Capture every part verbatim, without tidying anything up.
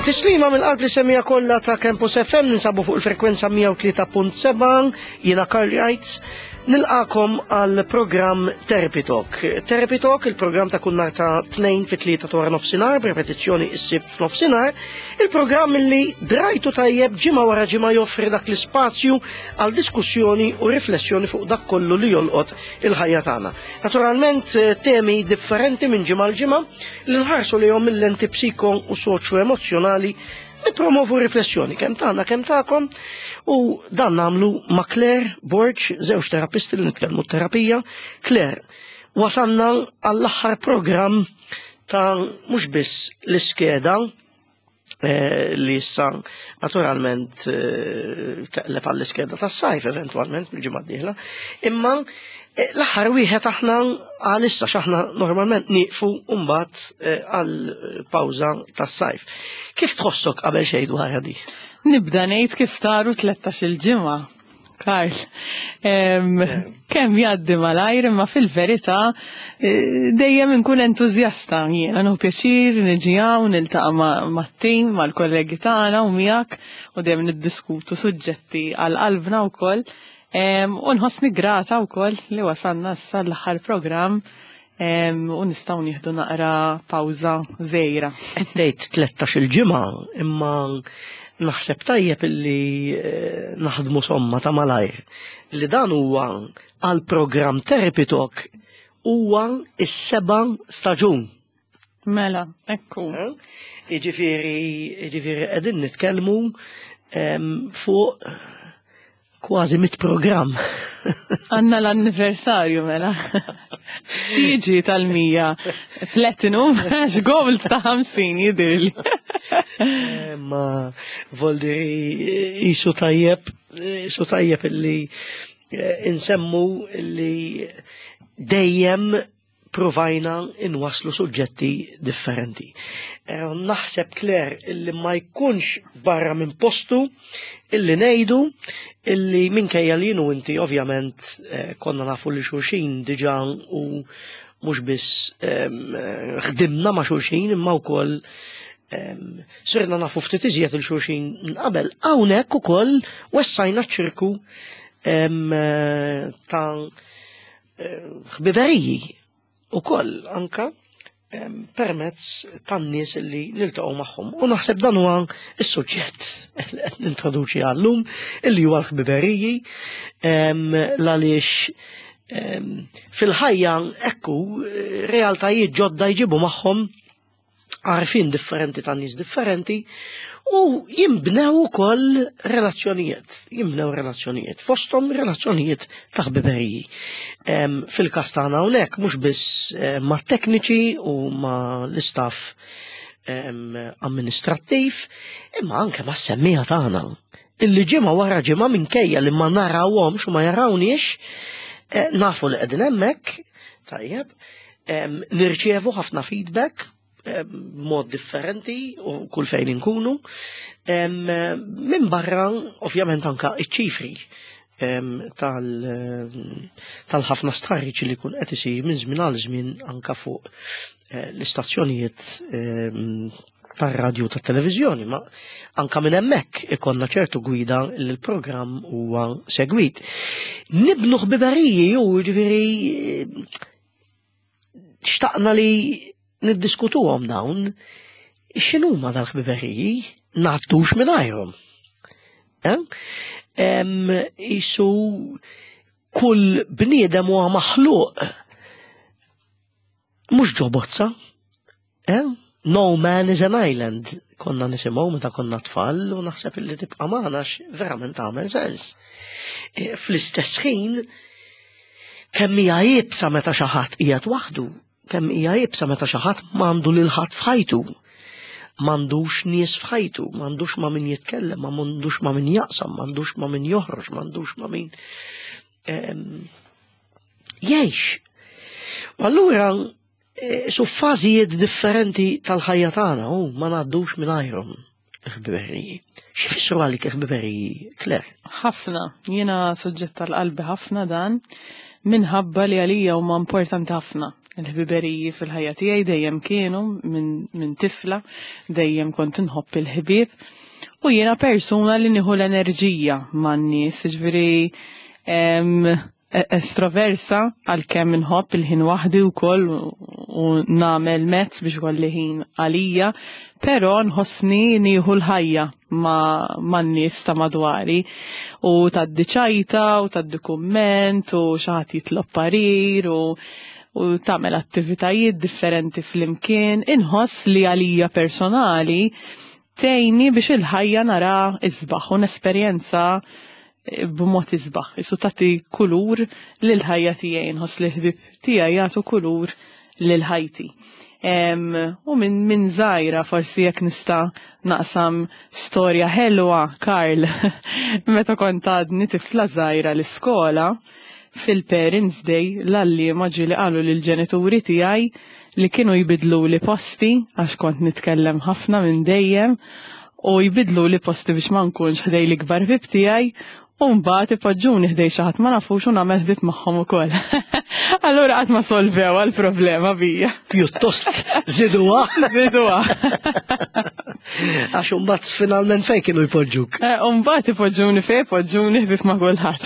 Tislima mill-qalb li semija kollha ta' Campus F M, ninsabu fuq il-frekwenza mija u tlieta punt seba', jiena Karl Reitz, nilqakom għal programm Therapy Talk. Therapy Talk, il-programm ta' kull nhar ta' tnejn fi tlieta ta' wara nofsinhar, b'repetizzjoni s-sibt f'nofsinhar, il-programm li drajtu tajjeb ġimgħa wara ġimgħa joffri dak l-ispazju għal diskussjoni u riflessjoni fuq dak kollu li jolqot il-ħajja tagħna. Naturalment, temi differenti minn ġimgħa l ġimgħa li nħarsu lejhom mill-lenti psiko u soċjo-emozzjonali nipromovu riflessjoni kemm tagħna kemm tagħkom, u dan nagħmlu ma' Claire Borg, żewġ terapisti li nitkellmu terapija. Claire, wasanna għall-aħħar programm ta' mhux biss l-iskeda, eh, li issa naturalment, eh, teqleb għall-iskeda tas-sajf eventwalment mill-ġimgħa d-dieħla, imma, eh, l-aħħar wieħed aħna għalissa x'aħna normalment nieqfu mbagħad, eh, għal pawża tas-sajf. Kif tħossok qabel xejn dwar di? Nibda ngħid kif taru tlettax-il ġimgħa, Karl. Em, kemm jgħaddi malajr, imma fil-verità, eh, dejjem inkun entużjasta jiena, nieħu pjaċir niġi hawn niltaqa' ma-, mat-tim, mal-kollegi tagħna u miegħek, u dejjem niddiskutu suġġetti għal qalbna wkoll. Em, u nħossni grata wkoll li wasalna issa l-aħħar programm, em, u nistgħu nieħdu naqra pawża żgħira. Qed tgħid tlettax-il ġimgħa, imma naħseb tajjeb illi, eh, naħdmu somma ta' malajr. Li dan huwa għal programm Therapy Talk huwa is-seba' staġun. Mela, ekku. Eh? Jiġifieri, jiġifieri qegħdin nitkellmu, em, fuq kważi mit programm. Għanna l-anniversarju, mela. Xieġi tal-mija. Platinum, għax gold ta' ħamsin jidirli. Eh, ma voldiri jisu tajjeb, jisu tajjeb illi, eh, insemmu illi dejjem provajna inwaslu suġġetti differenti. Eh, naħseb, Claire, illi ma jkunx barra minn postu illi ngħidu illi minkejja li jienu inti ovvjament, eh, konna nafu li xulxin diġà u mhux biss, em, ħdimna ma' xulxin imma wkoll, em, sirna nafu ftit iżjed il xulxin qabel. Hawnhekk ukoll wessajna ċ-ċirku, em, ta' eh, ħbiberiji ukoll anka, em, permezz tan-nies li niltaqgħu magħhom. U naħseb dan huwa s-suġġett li qed nintroduċi għallum, illi huwa l-ħbiberiji, em, l-għaliex, em, fil-ħajja ekku realtajiet ġodda jġibu magħhom għarfien differenti ta' nies differenti u jimbnew ukoll relazzjonijiet, jimbnew relazzjonijiet, fosthom relazzjonijiet ta' ħbiberiji. Em, fil-każ tagħna hawnhekk mhux biss, eh, ma' tekniċi u ma' l-istaff, em, amministrattiv, imma anke ma' semmija tagħna. Illi ġimgħa wara ġimgħa minkejja li ma narawhomx u ma jarawniex, eh, nafu li qegħdin hemmhekk, tajjeb, em, nirċievu ħafna feedback b'mod differenti u kull fejn inkunu. Em, min barra, ovvjament, anka iċ-ċifri, em, tal-, tal-ħafna stħarriġ li jkun qed isir minn żmien għal żmien anka fuq, eh, l-istazzjonijiet, em, tar-radju tat-televiżjoni, ma anka minn hemmhekk ikollna ċertu gwida li l-programm huwa segwit. Nibnu ħbiberiji u jiġifieri xtaqna li niddiskutuhom dawn, x'inhuma dal-ħbiberiji, ngħaddux mingħajrhom. Eh? Em, isu kull bniedem huwa maħluq mhux ġo bozza. Eh? No man is an island. Konna nisimgħu meta konna tfal u naħseb illi tibqa' magħna għax verament tagħmel sens. Eh, fl-istess ħin kemm hija iebsa meta xi ħadd qiegħed waħdu, kemm hija iebsa meta xi ħadd m'għandu lil ħadd f'ħajtu, m'għandux nies f'ħajtu, m'għandux ma' min jitkellem, m'għandux ma' min jaqsam, m'għandux ma' min joħroġ, m'għandux ma' min, ehm, jgħix. U allura, eh, su fażijiet differenti tal-ħajja tagħna u ma ngħaddux mingħajrhom il-ħbiberiji. X'ifissru għalik il-ħbiberiji, Claire? Ħafna, jiena suġġett tal-qalbi ħafna dan, minħabba li għalija huma importanti ħafna. Il-ħbiberiji fil-ħajja tiegħi dejjem kienu minn min tifla, dejjem kont inħobb il-ħbieb. U jiena persuna li nieħu l-enerġija man-nies, jiġifieri estroversa għalkemm inħobb il-ħin waħdi wkoll u nagħmel mezz biex ikolli ħin għalija, però nħossni nieħu l-ħajja man-nies ta' madwari u tgħaddi ċajta u tgħaddi kumment u xi ħadd jitlob parir u u tagħmel attivitajiet differenti flimkien. Inħoss li għalija personali tgħinni biex il-ħajja nara isbaħ u nesperjenza b'mod isbaħ. Isu tagħti kulur lil ħajja tiegħi, nħoss li ħbieb tiegħi jagħtu kulur lil ħajti. U minn min żgħira forsi jekk nista' naqsam storja ħelwa, Karl, meta kont għadni tifla żgħira l-iskola, fil-Parents Day l-għalliema ġieli qalu lill-ġenituri tiegħi li kienu jbidlu li posti għax kont nitkellem ħafna minn dejjem u jbidlu li posti biex ma nkunx ħdej l-ikbar ħbieb tiegħi u mbagħad ipoġġuni ħdej xi ħadd ma nafux u nagħmel ħbieb magħhom ukoll. Allura qatt ma solvew għall-problema bija. Pjuttost żiduha. Żiduha. Għax imbagħad finalment fejn kienu jpoġġuk? Imbagħad ipoġġuni fejn ipoġġuni ħbieb ma' kulħadd.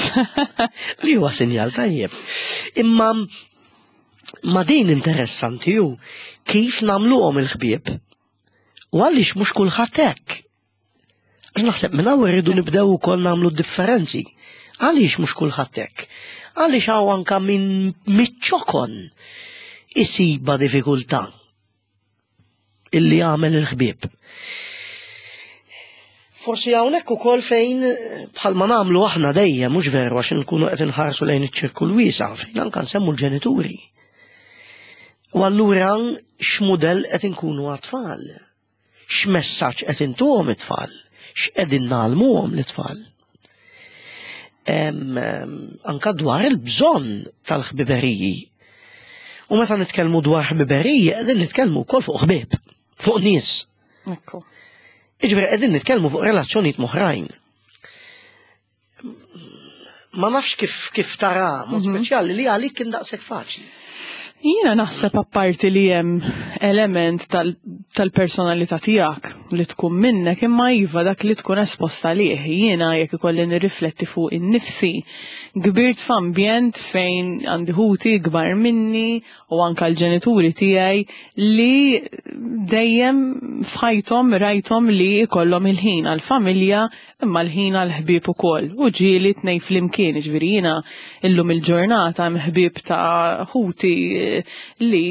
Li huwa sinjal tajjeb. Imma ma din interessanti hu kif nagħmluhom il-ħbieb u għaliex mhux kulħadd hekk. Għax naħseb minn hawn irridu nibdew ukoll nagħmlu differenzi. Għaliex mhux kulħadd hekk? Għaliex hawn anka minn miċ-ċokon isiba diffikultà illi jagħmel il-ħbieb. Forsi hawnhekk ukoll fejn bħalma nagħmlu aħna dejjem mhux veru għax inkunu qed inħarsu lejn iċ-ċirkul wiesa' fejn anke nsemmu l-ġenituri. U allura x'mudell qed inkunu għat-tfal? X'messaġġ qed intuhom it-tfal? X'qegħdin nagħlmuhom l-tfal? Anka dwar il-bżonn tal-ħbiberiji. U meta nitkellmu dwar ħbiberiji, qegħdin nitkellmu wkoll fuq ħbieb, fuq nies. Ekku. Jiġifieri qegħdin nitkellmu fuq relazzjonijiet m'oħrajn. Ma nafx kif kif tara, mod speċjali li għalik kien daqshekk faċli. Jiena naħseb apparti li hemm element tal-personalità tiegħek li tkun minnek, imma iva dak li tkun esposta lih. Jiena jekk ikolli nirrifletti fuq innifsi, kbirt f'ambjent fejn għandi ħuti kbar minni u anka l-ġenituri tiegħi li dejjem f'ħajthom rajthom li jkollhom il-ħin għall-familja imma l-ħin għall-ħbieb ukoll. U ġieli tnejn flimkien, jiġifieri jiena illum il-ġurnata hemm ħbieb ta' ħuti li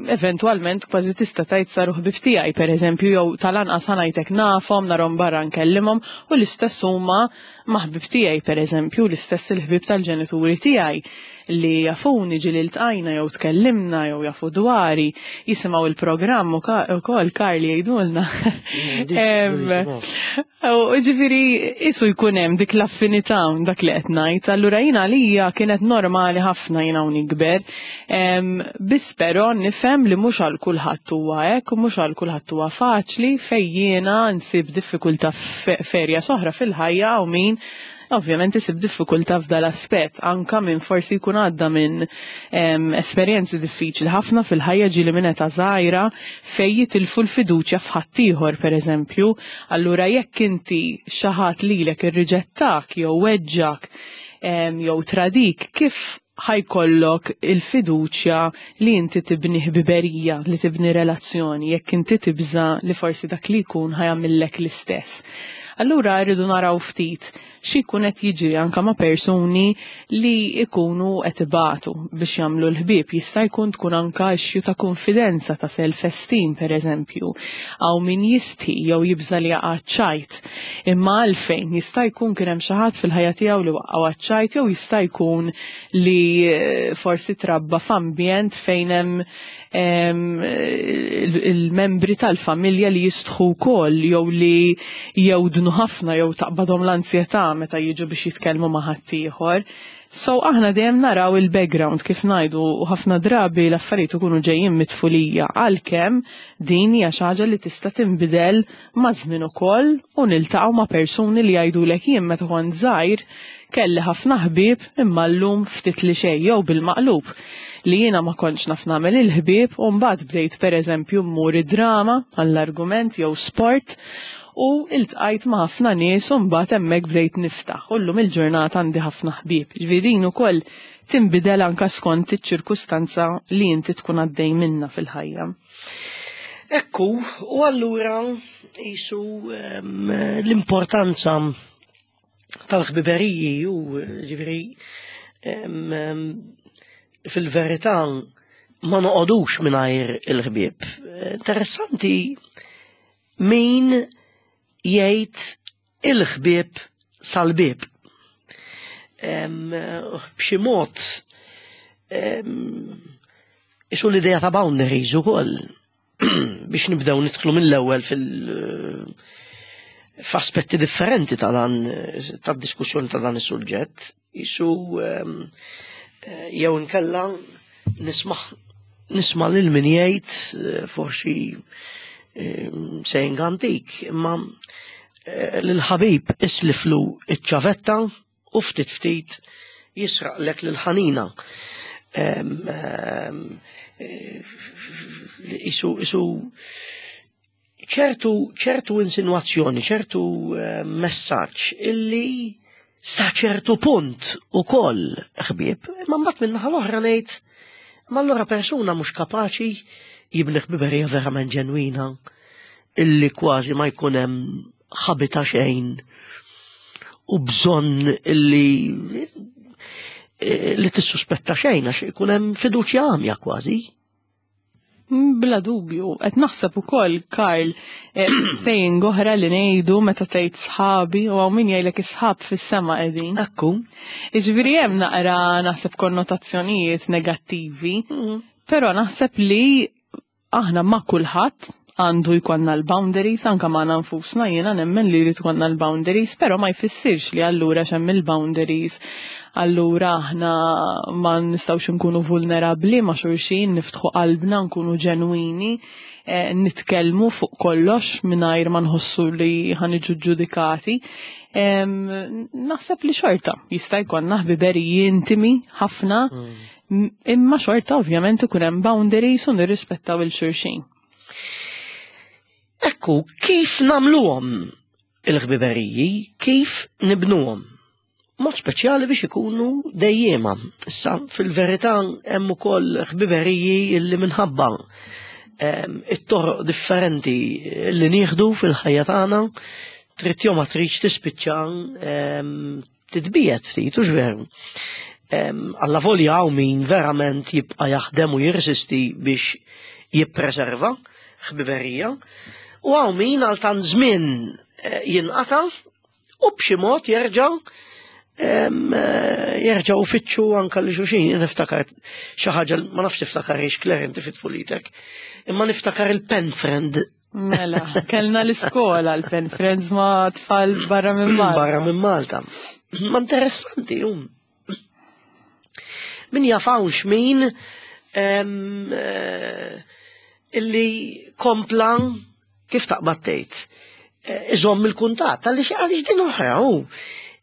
eventwalment kważi tista' tgħid saru ħbieb tiegħi, pereżempju, jew tal-anqas ngħidlek nafhom, narhom barra nkellimhom, u l-istess huma ma' ħbieb tiegħi, pereżempju, l-istess il-ħbieb tal-ġenituri tiegħi li jafuni ġieli ltqajna jew tkellimna jew jafu dwari, jisimgħu il-programm ukoll Karli jgħidulna. U ġifieri isu jkun hemm dik l-affinità dak li qed ngħid. Allura jiena għalija kienet normali ħafna jiena u nikber. Biss però nifhem li mhux għal kulħadd huwa hekk u mhux għal kulħadd huwa faċli fejn jiena nsib diffikultà f'erja soħra fil-ħajja u min ovvjament isib diffikultà f'dal aspett, anka minn forsi jkun għadda minn esperjenzi diffiċli ħafna fil-ħajja ġieli minn età żgħira fejn jitilfu l-fiduċja f'ħaddieħor pereżempju. Allura jekk inti xi ħadd lilek irriġettak jew weġġak jew tradik, kif ħajkollok il-fiduċja li inti tibni ħbiberija, li tibni relazzjoni, jekk inti tibża li forsi dak li jkun ħajamillek l-istess. Allura rridu naraw ftit xi jkun qed jiġri anke ma' persuni li jkunu qed ibatu biex jagħmlu l-ħbieb. Jista' jkun tkun anke issue ta' konfidenza, ta' self-esteem pereżempju, hawn min jistħi jew jibża li jaqa' ċajt. Imma għalfejn jista' jkun kien hemm xi ħadd fil-ħajja tiegħu li waqgħu għaċ-ċajt, jew jista' jkun li forsi trabba f'ambjent fejn hemm il-membri tal-familja li jistħu wkoll jew li jewdnu ħafna jew taqbadhom l-ansjetà meta jiġu biex jitkellmu ma' ħaddieħor. So aħna dejjem naraw il-background kif ngħidu, u ħafna drabi l-affarijiet ikunu ġejjin mit-tfulija, għalkemm din hija xi ħaġa li tista' tinbidel ma' żmien ukoll u niltaqgħu ma' persuni li jgħidulek jien meta kont żgħir kelli ħafna ħbieb imma llum ftit li xejn, jew bil-maqlub. li jiena ma kontx naf nagħmel il-ħbieb u mbagħad bdejt pereżempju mmur id-drama għall-argument jew sport u iltqajt ma' ħafna nies u mbagħad hemmhekk bdejt niftaħ. U llum il-ġurnata għandi ħafna ħbieb. Ġifieri din ukoll tinbidel anka skont iċ-ċirkustanza li inti tkun għaddej minna fil-ħajja. Ekku, u allura jisu l-importanza tal-ħbiberiji u ġifieri fil-verità ma noqogħdux mingħajr il-ħbieb. Interessanti min jgħid il-ħbieb sal-bieb. B'xi mod isu l-idea ta' boundaries ukoll biex nibdew nidħlu mill-ewwel fil- f'aspetti differenti ta' dan tad-diskussjoni ta' dan is-suġġett. Isu jew inkella nisma' nisma' lil min jgħid forsi saying antik, imma lil-ħabib isliflu iċ-ċavetta u ftit ftit jisraqlek lil-ħanina. Isu isu ċertu ċertu insinuazzjoni, ċertu messaġġ illi sa ċertu punt ukoll ħbieb, imma mbagħad min-naħa l-oħra ngħid, ma allura persuna mhux kapaċi jibni ħbiberija verament ġenwina illi kważi ma jkun hemm ħabita xejn u bżonn illi li tissuspetta xejn għax ikun hemm fiduċja għamja kważi. Bla dubju, qed naħseb ukoll Karl saying oħra li ngħidu meta tgħid sħabi u hawn min jgħidlek is-sħab fis-sema qegħdin. Ekku. Jiġifieri hemm naqra naħseb konnotazzjonijiet negattivi, però naħseb li aħna ma' kulħadd għandu jkollna l-boundaries, anka magħna nfusna jiena nemmen li jrid ikollna l-boundaries, però ma jfissirx li allura x'hemm il-boundaries allura aħna ma nistgħux nkunu vulnerabbli ma' xulxin, niftħu qalbna, nkunu ġenwini, eh, nitkellmu fuq kollox mingħajr ma nħossu li ħaniġu ġudikati. Naħseb li xorta jista' jkollna ħbiberiji intimi ħafna, imma xorta ovvjament ikun hemm boundaries u nirrispettaw il-xulxin. Ekku, kif nagħmluhom il-ħbiberiji, kif nibnuhom? Mod speċjali biex ikunu dejjema. Issa, fil-verità hemm ukoll ħbiberiji illi minħabba it-toroq differenti li nieħdu fil-ħajja tagħna, trid jew ma tridx tispiċċa titbiet ftit, hux veru. Alla volja hawn min verament jibqa' jaħdem u jirsisti biex jippreserva ħbiberija, u hawn min għal tant żmien jinqata' u b'xi mod jerġa' jerġgħu fitxu anka li xulxin. Niftakar xi ħaġa, ma nafx tiftakarix Claire inti fit-tfulitek, imma niftakar il-pen friend. Mela, kellna l-iskola l-pen friends ma' tfal barra minn Malta. Barra minn Malta. Ma interessanti, um. Min jafawx min illi kompla kif taqbad tgħid. Iżomm il-kuntatt, għaliex għaliex din oħra hu.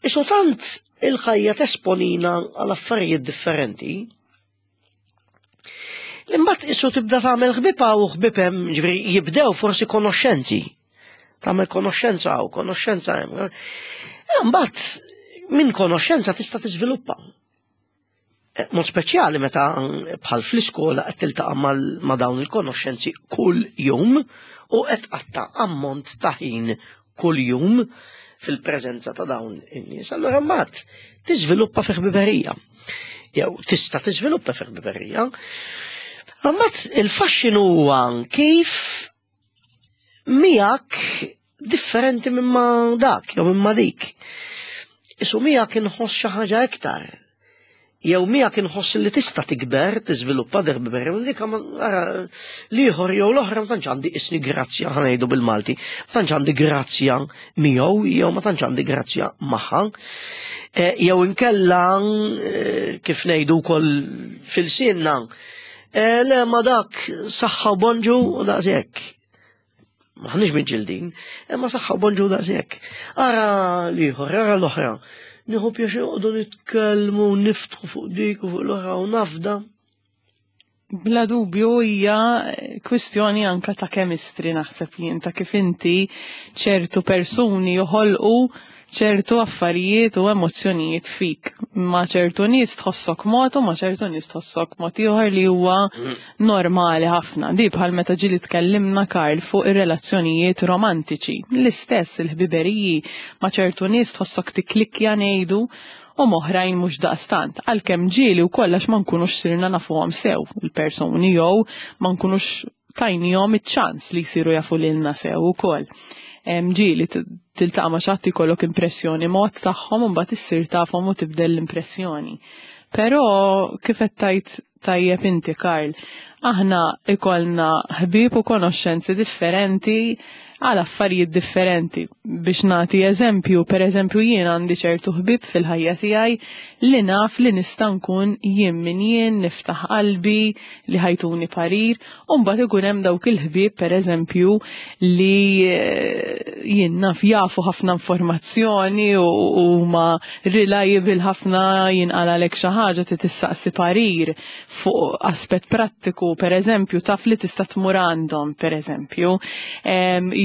Isu tant il-ħajja tesponina għal affarijiet differenti. Imbagħad isu tibda tagħmel ħbiba u ħbieb hemm, ġifieri jibdew forsi konoxxenzi. Tagħmel konoxxenza u konoxxenza hemm. Imbagħad minn konoxxenza tista' tiżviluppa. Mod speċjali meta bħal fl-iskola qed tiltaqa' ma' dawn il-konoxxenzi kull jum u qed tqatta' ammont ta' ħin kull jum fil-preżenza ta' dawn in-nies. Allura mbagħad tiżviluppa fi ħbiberija. Jew tista' tiżviluppa fi ħbiberija. Mbagħad il-faxxinu huwa kif miegħek differenti minn ma dak jew minn ma dik. Isu miegħek inħoss xi ħaġa iktar. Jew miegħek inħoss li tista' tikber, tiżviluppa ħbiberija, minn dik ara l-ieħor jew l-oħra ma tantx għandi isni grazzja, ħa ngħidu bil-Malti, ma tantx għandi grazzja miegħu jew ma tantx għandi grazzja magħha. Jew inkella kif ngħidu wkoll fil-sinna, le ma dak saħħa u bonġu u daqshekk. Maħniex miġġildin, imma saħħa u bonġu daqshekk. Ara l-ieħor, ara l-oħra. Nieħu pjaċir noqogħdu nitkellmu, niftħu fuq dik u fuq l-oħra u nafda. Bla dubju hija kwistjoni anka ta' chemistry, naħseb jien, ta' kif inti ċertu persuni joħolqu ċertu affarijiet u emozzjonijiet fik. Ma' ċertu nies tħossok mod u ma' ċertu nies tħossok mod ieħor, li huwa normali ħafna. Di bħal meta ġieli tkellimna, Karl, fuq ir-relazzjonijiet romantiċi. L-istess il-ħbiberiji, ma' ċertu nies tħossok tiklikja, ngħidu, u m'oħrajn mhux daqstant. Għalkemm ġieli u kollax ma nkunux sirna nafuhom sew il-persuni jew ma nkunux tajnihom iċ-ċans li jsiru jafu lilna sew ukoll. Ġieli tiltaqa' ma' xi ħadd, jkollok impressjoni mod tagħhom u mbagħad issir tafhom u tibdel l-impressjoni. Però kif qed tajt tajjeb inti, Karl, aħna ikollna ħbieb u konoxxenzi differenti għal affarijiet differenti. Biex nagħti eżempju, per eżempju, jien għandi ċertu ħbieb fil-ħajja tiegħi li naf li nista' nkun jien min jien, niftaħ qalbi, li ħa jtuni parir, u mbagħad ikun hemm dawk il-ħbieb, per eżempju, li eh, jien naf jafu ħafna informazzjoni u huma reliable ħafna, jinqalalek xi ħaġa, tistaqsi parir fuq aspett prattiku, per eżempju, taf li tista' tmur għandhom, per eżempju.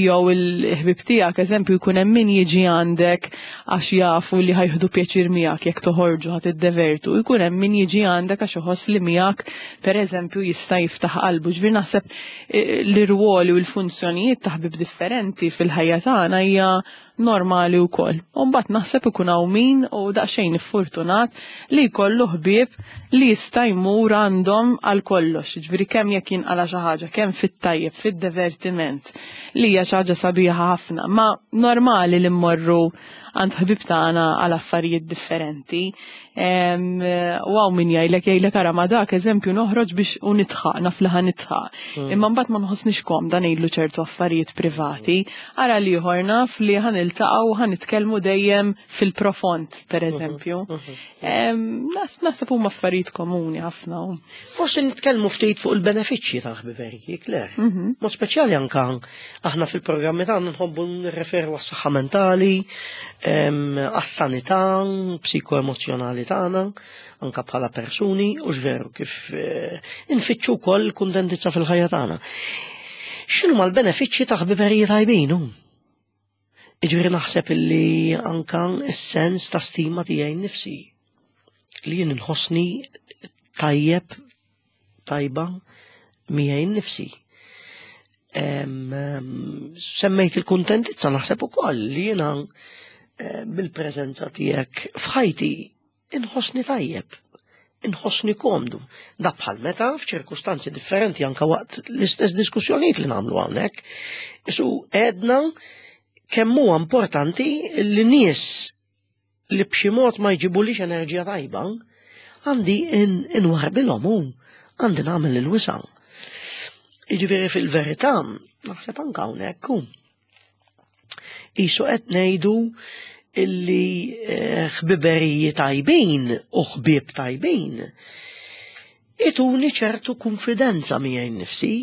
Jew il-ħbib tiegħek, eżempju, jkun hemm min jiġi għandek għax jafu li ħa jieħdu pjaċir miegħek, jekk toħorġu ħa tiddevertu, jkun hemm min jiġi għandek għax iħoss li miegħek, pereżempju, jista' jiftaħ qalbu. Ġifieri naħseb eh, l-irwoli u l-funzjonijiet ta' ħbib differenti fil-ħajja tagħna hija normali wkoll. U mbagħad naħseb ikun hawn min u daqsxejn iffortunat li jkollu ħbieb li jista' jmur għandhom għal kollox. Ġifieri kemm jekk jinqala xi ħaġa, kemm fit-tajjeb, fid-divertiment, li hija xi ħaġa sabiħa ħafna. Ma normali li mmorru għand ħbib tagħna għal affarijiet differenti. U hawn min jgħidlek jgħidlek ara, ma dak, eżempju, noħroġ biex u nidħaq, naf li ħa nidħaq. Hmm. Imma mbagħad ma nħossnix komda ngħidlu ċertu affarijiet privati. Ara l-ieħor naf li ħa niltaqgħu u ħa nitkellmu dejjem fil-profond, per eżempju. Naħseb huma affarijiet komuni ħafna. Forsi nitkellmu ftit fuq il-benefiċċji tal-ħbiberiji, Claire. Mhm. Mod speċjali anka aħna fil-programmi tagħna nħobbu nirreferu għas-saħħa mentali, għas-sanità psikoemozjonali tagħna, anka bħala persuni, u veru kif eh, infittxu wkoll kuntentizza fil-ħajja tagħna. X'inhu mal-benefiċċji ta' ħbiberiji tajbin? Iġifieri naħseb illi anka s-sens ta' stima tiegħi nnifsi li jien nħossni tajjeb, tajba miegħi nnifsi. Semmejt il-kuntentizza, naħseb ukoll li jiena eh, bil-preżenza tiegħek f'ħajti inħossni tajjeb, inħossni komdu. Da bħal meta f'ċirkustanzi differenti, anka waqt l-istess diskussjonijiet li nagħmlu hawnhekk. Isu għedna kemm huwa importanti li nies li b'xi mod ma jġibulix enerġija tajba, għandi inwarbilhom u għandi nagħmel il-wisa'. Jiġifieri fil-verità, naħseb anka hawnhekk qisu qed ngħidu illi eh, ħbiberiji tajbin u ħbieb tajbin ituni ċertu konfidenza miegħi nnifsi,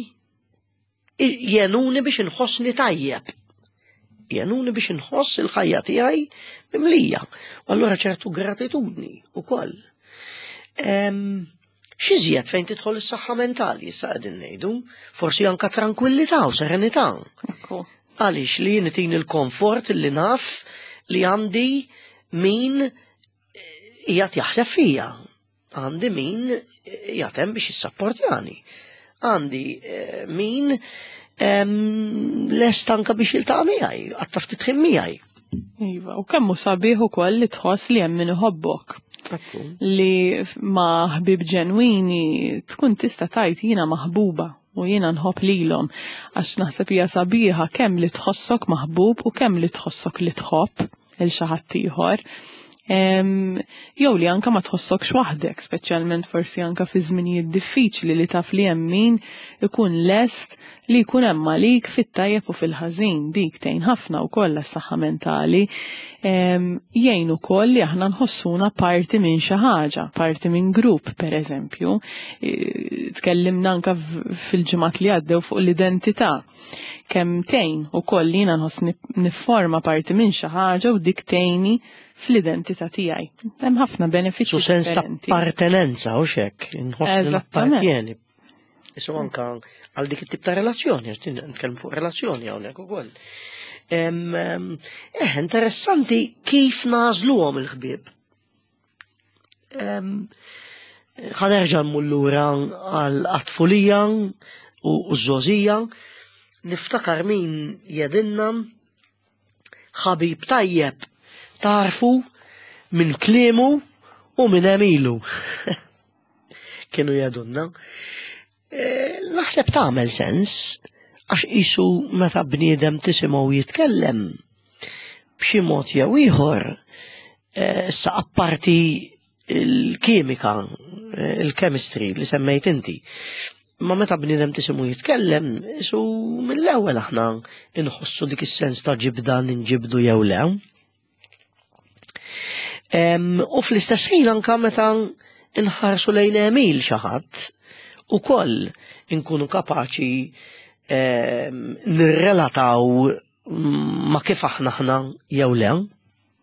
jgħinuni biex inħossni tajjeb, jgħinuni biex inħoss il-ħajja tiegħi mimlija. U allura ċertu gratitudni ukoll. X'iżjed fejn tidħol is-saħħa mentali, issa qegħdin ngħidu, forsi anka tranquillità u serenità. Għaliex li jien il-komfort li naf li għandi min qiegħed jaħseb fija, għandi min jaħdem biex jissapportjani, għandi eh, min lest anka biex jiltaqa' miegħi, għatta ftit ħin miegħi. Iva, u kemm hu sabiħ ukoll li tħoss li hemm min iħobbok. Li ma' ħbib ġenwini tkun tista' tgħid jiena maħbuba u jiena nħobb lilhom, għax naħseb hija sabiħa kemm li tħossok maħbub u kemm li tħossok li tħobb il xi ħadd ieħor. Jew li anka ma tħossokx waħdek, speċjalment forsi anka fi żminijiet diffiċli, li taf li hemm min ikun lest li jkun hemm għalik fit-tajjeb u fil-ħażin, dik tgħin ħafna wkoll għas-saħħa mentali. Jgħin ukoll li aħna nħossuna parti minn xi ħaġa, parti minn grupp, pereżempju. Tkellimna anka fil-ġimgħat li għaddew fuq l-identità. Kemm tgħin ukoll li jiena nħoss nifforma parti minn xi ħaġa u dik tgħinni fl-identità tiegħi. Hemm ħafna benefiċċji. Su sens ta' appartenenza u xek, nħoss nappartjeni. Isu anka għal dik it-tip ta' relazzjoni, għax din nitkellmu fuq relazzjoni hawnhekk ukoll. Eh, interessanti kif nagħżluhom il-ħbieb. Ħa nerġa' mmur lura għal-tfulija u ż-żgħożija. Niftakar min jgħidilna ħabib tajjeb tagħrfu minn kliemu u minn għemilu. Kienu jgħidulna. E, naħseb tagħmel sens għax qisu meta bniedem tisimgħu jitkellem b'xi mod jew ieħor, e, issa apparti il-kimika, e, il-chemistry li semmejt inti. Ma meta bniedem tisimgħu jitkellem, qisu mill-ewwel aħna inħossu dik is-sens ta' ġibda ninġibdu jew le. U fl-istess ħin anka meta inħarsu lejn għemil xi ħadd, ukoll inkunu kapaċi nirrelataw ma kif aħna aħna jew le.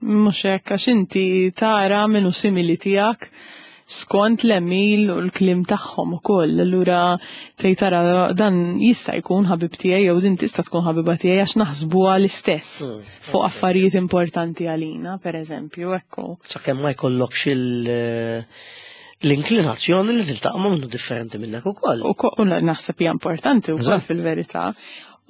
Mhux hekk, għax inti tara min hu simili tiegħek skont l-għemil u l-kliem tagħhom ukoll. Allura tgħid tara dan jista' jkun ħabib tiegħi jew din tista' tkun ħabiba tiegħi għax naħsbuha l-istess mm, fuq affarijiet importanti għalina, pereżempju, ekku. Sakemm ma jkollokx il- l-inklinazzjoni li tiltaqa' ma' min hu differenti minnek ukoll. U naħseb hija importanti wkoll fil-verità.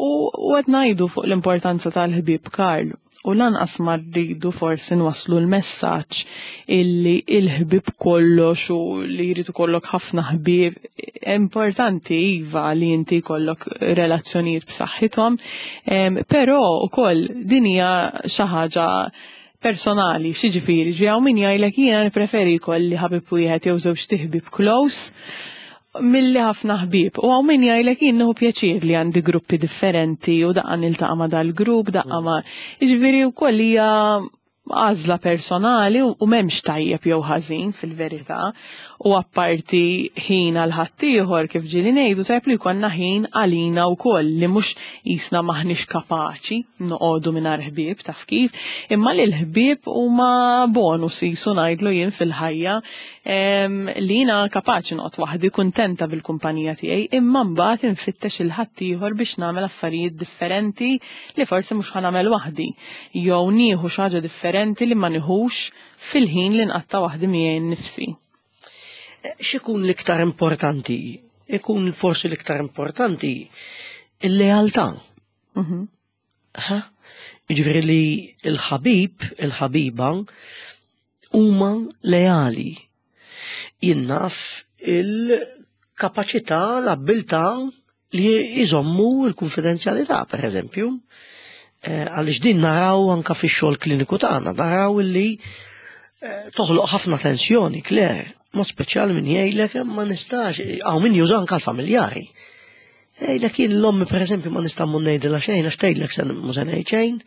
U qed ngħidu fuq l-importanza tal-ħbieb, Karl, u lanqas ma rridu forsi nwaslu l-messaġġ illi il-ħbieb kollox u li jrid ikollok ħafna ħbieb. Importanti iva li inti jkollok relazzjonijiet b'saħħithom, però ukoll din hija xi ħaġa personali, xiġifieri, ġi min jgħidlek jiena nippreferi jkolli ħabib wieħed jew żewġ ħbieb close milli ħafna ħbieb. U hawn min jgħidlek jien nieħu pjaċir li għandi gruppi differenti u daqqa niltaqa' ma' dal-grupp, daqqa ma'. Jiġifieri wkoll hija għażla personali u m'hemmx tajjeb jew ħażin fil-verità. U apparti ħin għal ħaddieħor, kif ġieli ngħidu, tajjeb li jkollna ħin għalina wkoll, li mhux qisna maħniex kapaċi noqogħdu mingħajr ħbieb, taf kif, imma li l-ħbieb huma bonus jisu ngħidlu jien fil-ħajja, li jiena kapaċi noqgħod waħdi kuntenta bil-kumpanija tiegħi, imma mbagħad infittex il-ħaddieħor biex nagħmel affarijiet differenti li forsi mhux ħa nagħmel waħdi jew nieħu xi ħaġa differenti li ma nieħux fil-ħin li nqatta' waħdi miegħi nnifsi. X'ikun l-iktar importanti? Ikun forsi l-iktar importanti il-lealtà. Mhm. Ha? Jiġifieri li l-ħabib, il-ħabiba huma leali. Jien naf il-kapaċità, l-abbiltà li jżommu l-konfidenzjalità, per eżempju. Eh, għaliex din naraw anka fix-xogħol kliniku tagħna, naraw illi eh, toħloq ħafna tensjoni, Claire, mod speċjali min jgħidlek ma nistax, hawn min juża anka l-familjari. Jgħidlek jien l-ommi, per eżempju, ma nista' mmur ngħidilha xejn għax tgħidlek se mhu se ngħid xejn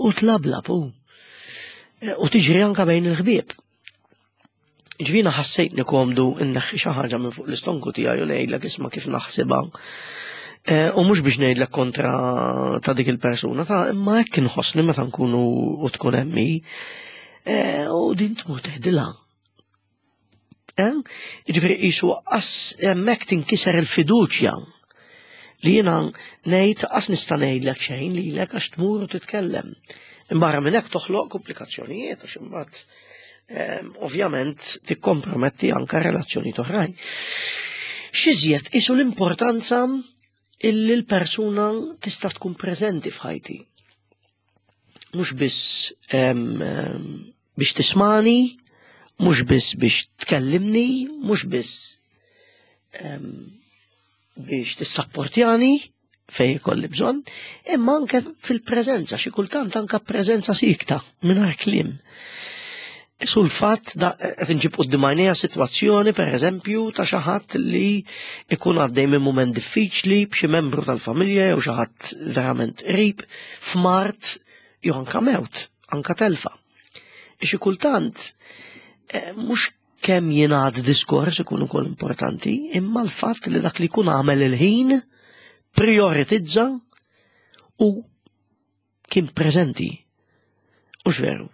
u tlablab u. Eh, u tiġri anka bejn il-ħbieb. Ġvina ħassejtni komdu inneħħi xi ħaġa minn fuq l-istonku tiegħi u ngħidlek isma' kif naħsibha. Eh, u mhux biex ngħidlek kontra ta' dik il-persuna, ta' imma hekk inħossni meta nkunu u tkun hemmi. Eh, u din tmur tgħidilha. Eh? Jiġifieri qisu qas hemmhekk tinkiser il-fiduċja li jiena ngħid qas nista' ngħidlek xejn lilek għax tmur u titkellem. Imbarra minn hekk toħloq komplikazzjonijiet għax imbagħad ehm, ovvjament tikkomprometti anka relazzjoni oħrajn. X'iżjed qisu l-importanza illi l-persuna tista' tkun preżenti f'ħajti. Mhux biss ehm, ehm, biex tismani, mhux biss biex tkellimni, mhux biss biex tissapportjani fej ikolli bżonn, imma anke fil-preżenza, xi kultant anke preżenza sikta mingħajr kliem. Sul fatt da qed inġib quddiem għajnejja sitwazzjoni, pereżempju, ta' xi ħadd li ikun għaddej minn mument diffiċli b'xi membru tal-familja jew xi ħadd verament qrib f'mard jew anka mewt, anka telfa. Xi kultant eh, mhux kemm jingħad diskors ikun ukoll importanti, imma l-fatt li dak li jkun għamel il-ħin prioritizza u kien preżenti. Ux veru.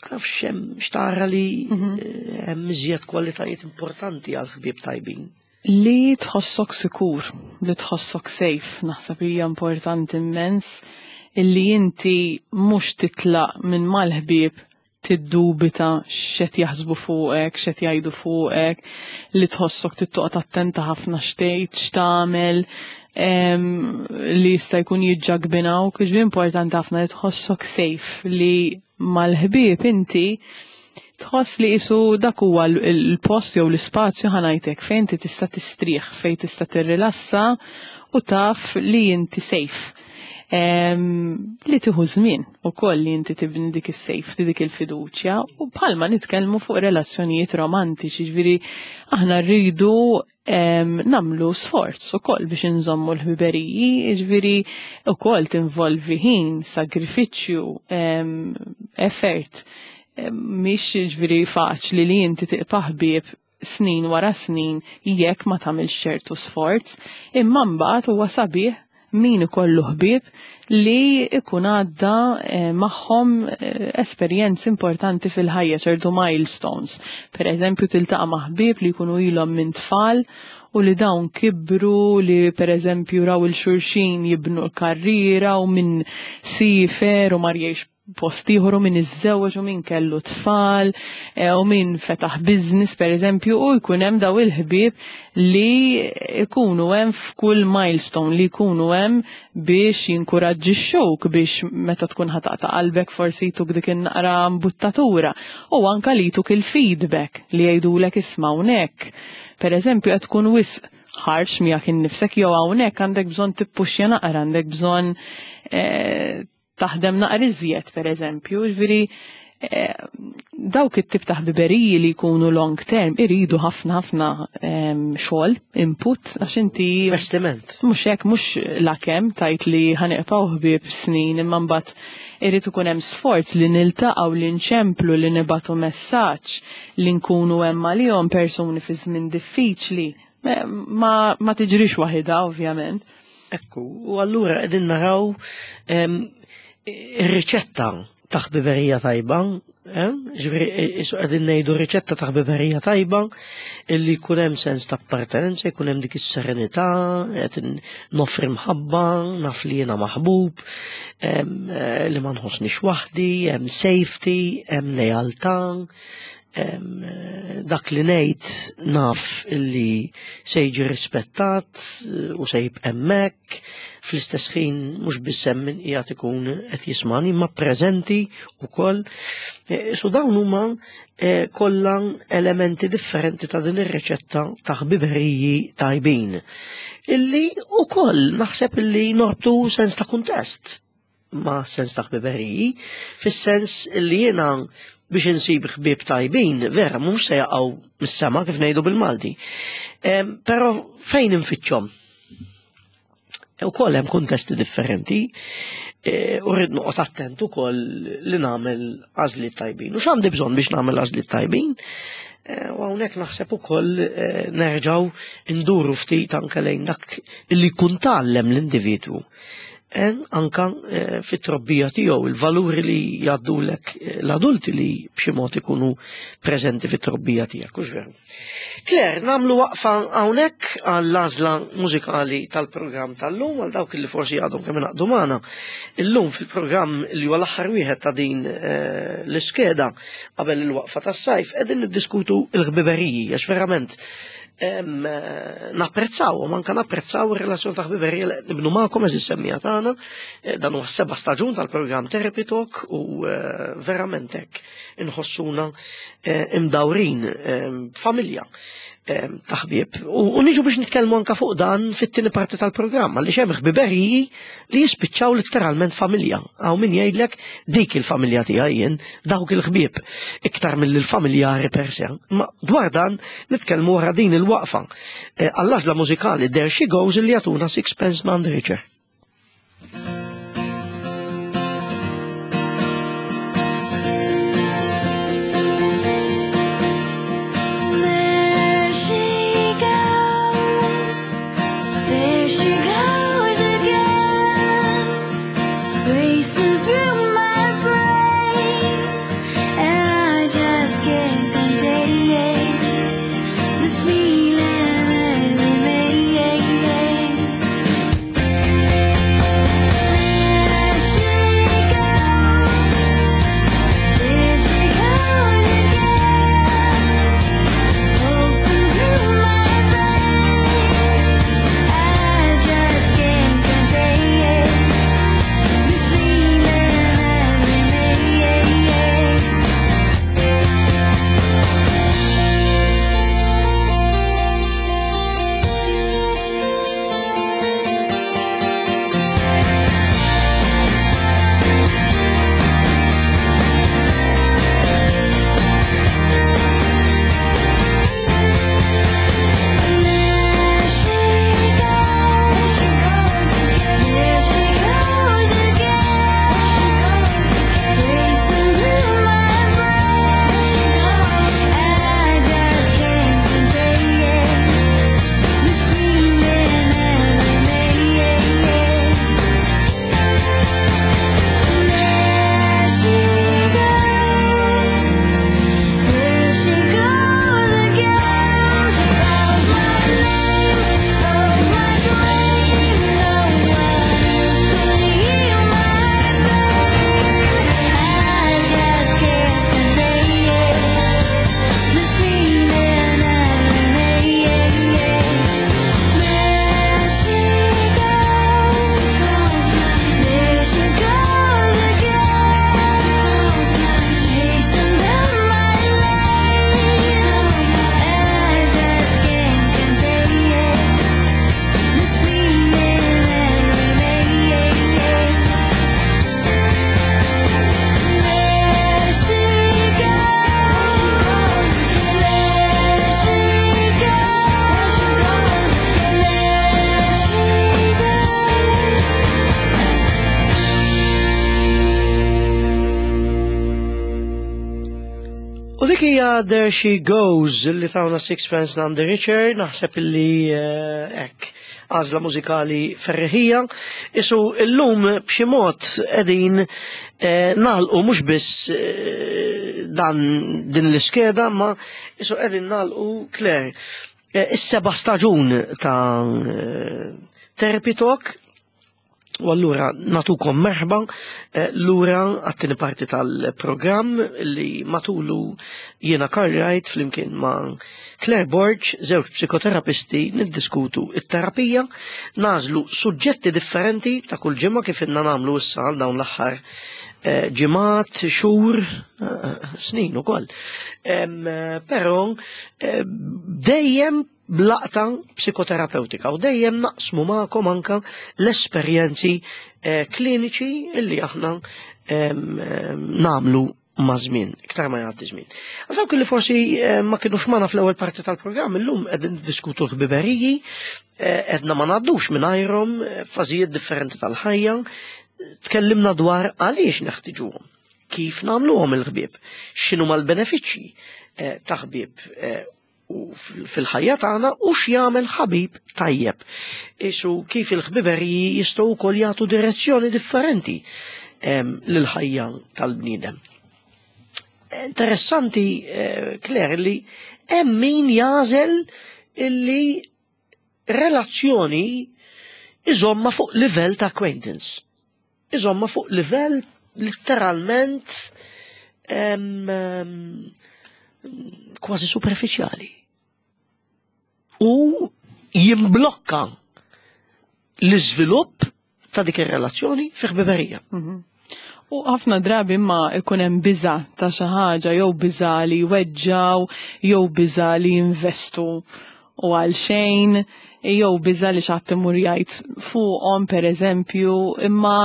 Nafx hemm xtara li mhm. hemm iżjed kwalitajiet importanti għal ħbieb tajbin. Li tħossok sikur, li tħossok safe, naħseb hija importanti immens, illi inti mhux titlaq minn mal-ħbieb tiddubita x'qed jaħsbu fuqek, x'qed jgħidu fuqek, li tħossok tittoqgħod attenta ħafna x'tgħid, x'tagħmel, li jista' jkun jiġġagbinawk, ġifieri importanti ħafna li tħossok safe, li mal-ħbieb inti tħoss li qisu dak huwa l-post jew l-ispazju ħa ngħidlek fejn inti tista' tistrieħ, fejn tista' tirrilassa u taf li inti safe. Li tieħu żmien ukoll li inti tibni dik is-safety, dik il-fiduċja, u bħalma nitkellmu fuq relazzjonijiet romantiċi, ġifieri aħna rridu nagħmlu sforz ukoll biex inżommu l-ħbiberiji, ġifieri ukoll tinvolvi ħin, sagrifiċċju, effort. Mhix ġifieri faċli li inti tibqa' ħbieb snin wara snin jekk ma tagħmilx ċertu sforz, imma mbagħad huwa sabiħ min ikollu ħbieb li ikun għadda eh, magħhom eh, esperjenzi importanti fil-ħajja, ċertu milestones. Per eżempju, tiltaqa' ma' ħbieb li jkunu ilhom minn tfal u li dawn kibru, li per eżempju raw il-xulxin jibnu l-karriera u minn sifer u mar jgħix post ieħor u min iżżewweġ u min kellu tfal eh, u min fetaħ business per eżempju, u jkun hemm daw il-ħbieb li jkunu hemm f'kull milestone, li jkunu hemm biex jinkuraġġixxuk, biex meta tkun ħataqta qalbek forsi jtuk dik in-naqra mbuttatura, u anka li jtuk il-feedback li jgħidulek isma' hawnhekk. Per eżempju, qed tkun wisq ħarx miegħek innifsek, jew hawnhekk għandek bżonn tippuxja naqra, għandek bżonn eh, taħdem naqra iżjed, per eżempju, ġifieri eh, dawk it-tip ta' ħbiberiji li jkunu long term iridu ħafna ħafna xogħol, input, għax inti Investiment. Mhux hekk, mhux lakemm tajt li ħa nibqgħu ħbieb snin, imma mbagħad irid ikun hemm sforz li niltaqgħu, li nċemplu, li nibatu messaġġ, li nkunu hemm għalihom persuni fi żmien diffiċli. Ma, ma tiġrix waħidha, ovvjament. Ekku, u allura qegħdin naraw ir-riċetta ta' ħbiberija tajba, eh? Ġifieri, isu qegħdin ngħidu riċetta ta' ħbiberija tajba illi jkun hemm sens ta' appartenenza, jkun hemm dik is-serenità, qed noffri mħabba, naf li jiena maħbub, eh, li ma nħossnix waħdi, hemm safety, hemm lealtà, dak li ngħid naf illi se jiġi rispettat u se jibqa' hemmhekk, fl-istess ħin mhux biss hemm min qiegħed ikun qed jismani imma preżenti wkoll. E, so dawn huma e, kollha elementi differenti ta' din ir-riċetta ta' ħbiberiji tajbin. Illi ukoll naħseb illi norbtu sens ta' kuntest ma' sens ta' ħbiberiji, fis-sens illi jiena biex insib ħbieb tajbin, vera, mhux se jaqgħu mis-sema kif ngħidu bil-Malti. Però fejn infittxhom? Ukoll hemm kuntesti differenti, e, u rrid noqgħod attent ukoll li nagħmel għażliet tajbin. U x'għandi bżonn biex nagħmel għażliet tajbin? E, u hawnhekk naħseb ukoll e, nerġgħu nduru ftit anke lejn dak li jkun tgħallem l-individwu. Anka fit-trobbija tiegħu, il-valuri li jgħaddulek l-adulti li b'xi mod ikunu preżenti fit-trobbija tiegħek, hux veru. Claire, nagħmlu waqfa hawnhekk għall-għażla mużikali tal-programm tal-lum, għal dawk li forsi għadhom kemm ingħaqdu magħna. Illum fil-programm li huwa l-aħħar wieħed ta' din l-iskeda qabel il-waqfa tas-sajf qegħdin niddiskutu l-ħbiberiji, għax verament napprezzaw, u manka napprezzaw ir-relazzjoni ta' ħbiberija li nibnu magħkom eżis semmija tagħna. Dan huwa s-seba' staġun tal-programm Therapy Talk u verament hekk inħossuna imdawrin familja ta' ħbieb. U niġu biex nitkellmu anka fuq dan fit-tieni parti tal-programm, għaliex hemm ħbiberiji li jispiċċaw letteralment familja. Hawn min jgħidlek dik il-familja tiegħi jien, dawk il-ħbieb, iktar mill-familjari per se. Ma dwar dan nitkellmu wara din il-waqfa għall-għażla mużikali There She Goes li jagħtuna Sixpence None the Richer. Through my brain. Dik hija There She Goes li tawna Sixpence None the Richer, naħseb illi eh, hekk għażla mużikali ferriħija. Isu illum b'xi mod qegħdin eh, nagħlqu mhux biss eh, dan din l-iskeda, ma isu qegħdin nagħlqu, Claire, eh, is-seba' staġun ta' eh, Therapy Talk. U allura natukom merħba eh, lura għat-tieni parti tal-programm li matulu jiena Karl Wright flimkien ma' Claire Borg, żewġ psikoterapisti, niddiskutu it-terapija, nagħżlu suġġetti differenti ta' kull ġimgħa kif inna nagħmlu issa għal dawn l-aħħar eh, ġimgħat, xhur, eh, snin ukoll. Em, eh, Però eh, dejjem b'laqta psikoterapeutika u dejjem naqsmu magħkom anka l-esperjenzi eh, kliniċi illi aħna em, em, nagħmlu ma' żmien, iktar ma jgħaddi żmien. Għal dawk li forsi eh, ma kienux magħna fl-ewwel parti tal-programm, illum qegħdin niddiskutu l-ħbiberiji, eh, edna ma ngħaddux mingħajrhom eh, fażijiet differenti tal-ħajja, tkellimna dwar għaliex neħtiġuhom, kif nagħmluhom il-ħbieb, x'inhuma l-benefiċċji eh, ta' ħbieb eh, u fil- fil-ħajja tagħna u x'jagħmel ħabib tajjeb. Isu kif il-ħbiberiji jistgħu wkoll jagħtu direzzjoni differenti em, lill-ħajja tal-bniedem. Interessanti, eh, Claire, li hemm min jagħżel illi relazzjoni iżomma fuq livell ta' acquaintance. Iżomma fuq livell letteralment em, em, kważi superfiċjali. U jimblokka l-iżvilupp ta' dik ir-relazzjoni fi ħbiberija. U ħafna drabi imma ikun hemm biża ta' xi ħaġa, jew biża li jweġġaw, jew biża li jinvestu u għal xejn, jew biża li xi ħadd imur jgħid fuqhom, pereżempju, imma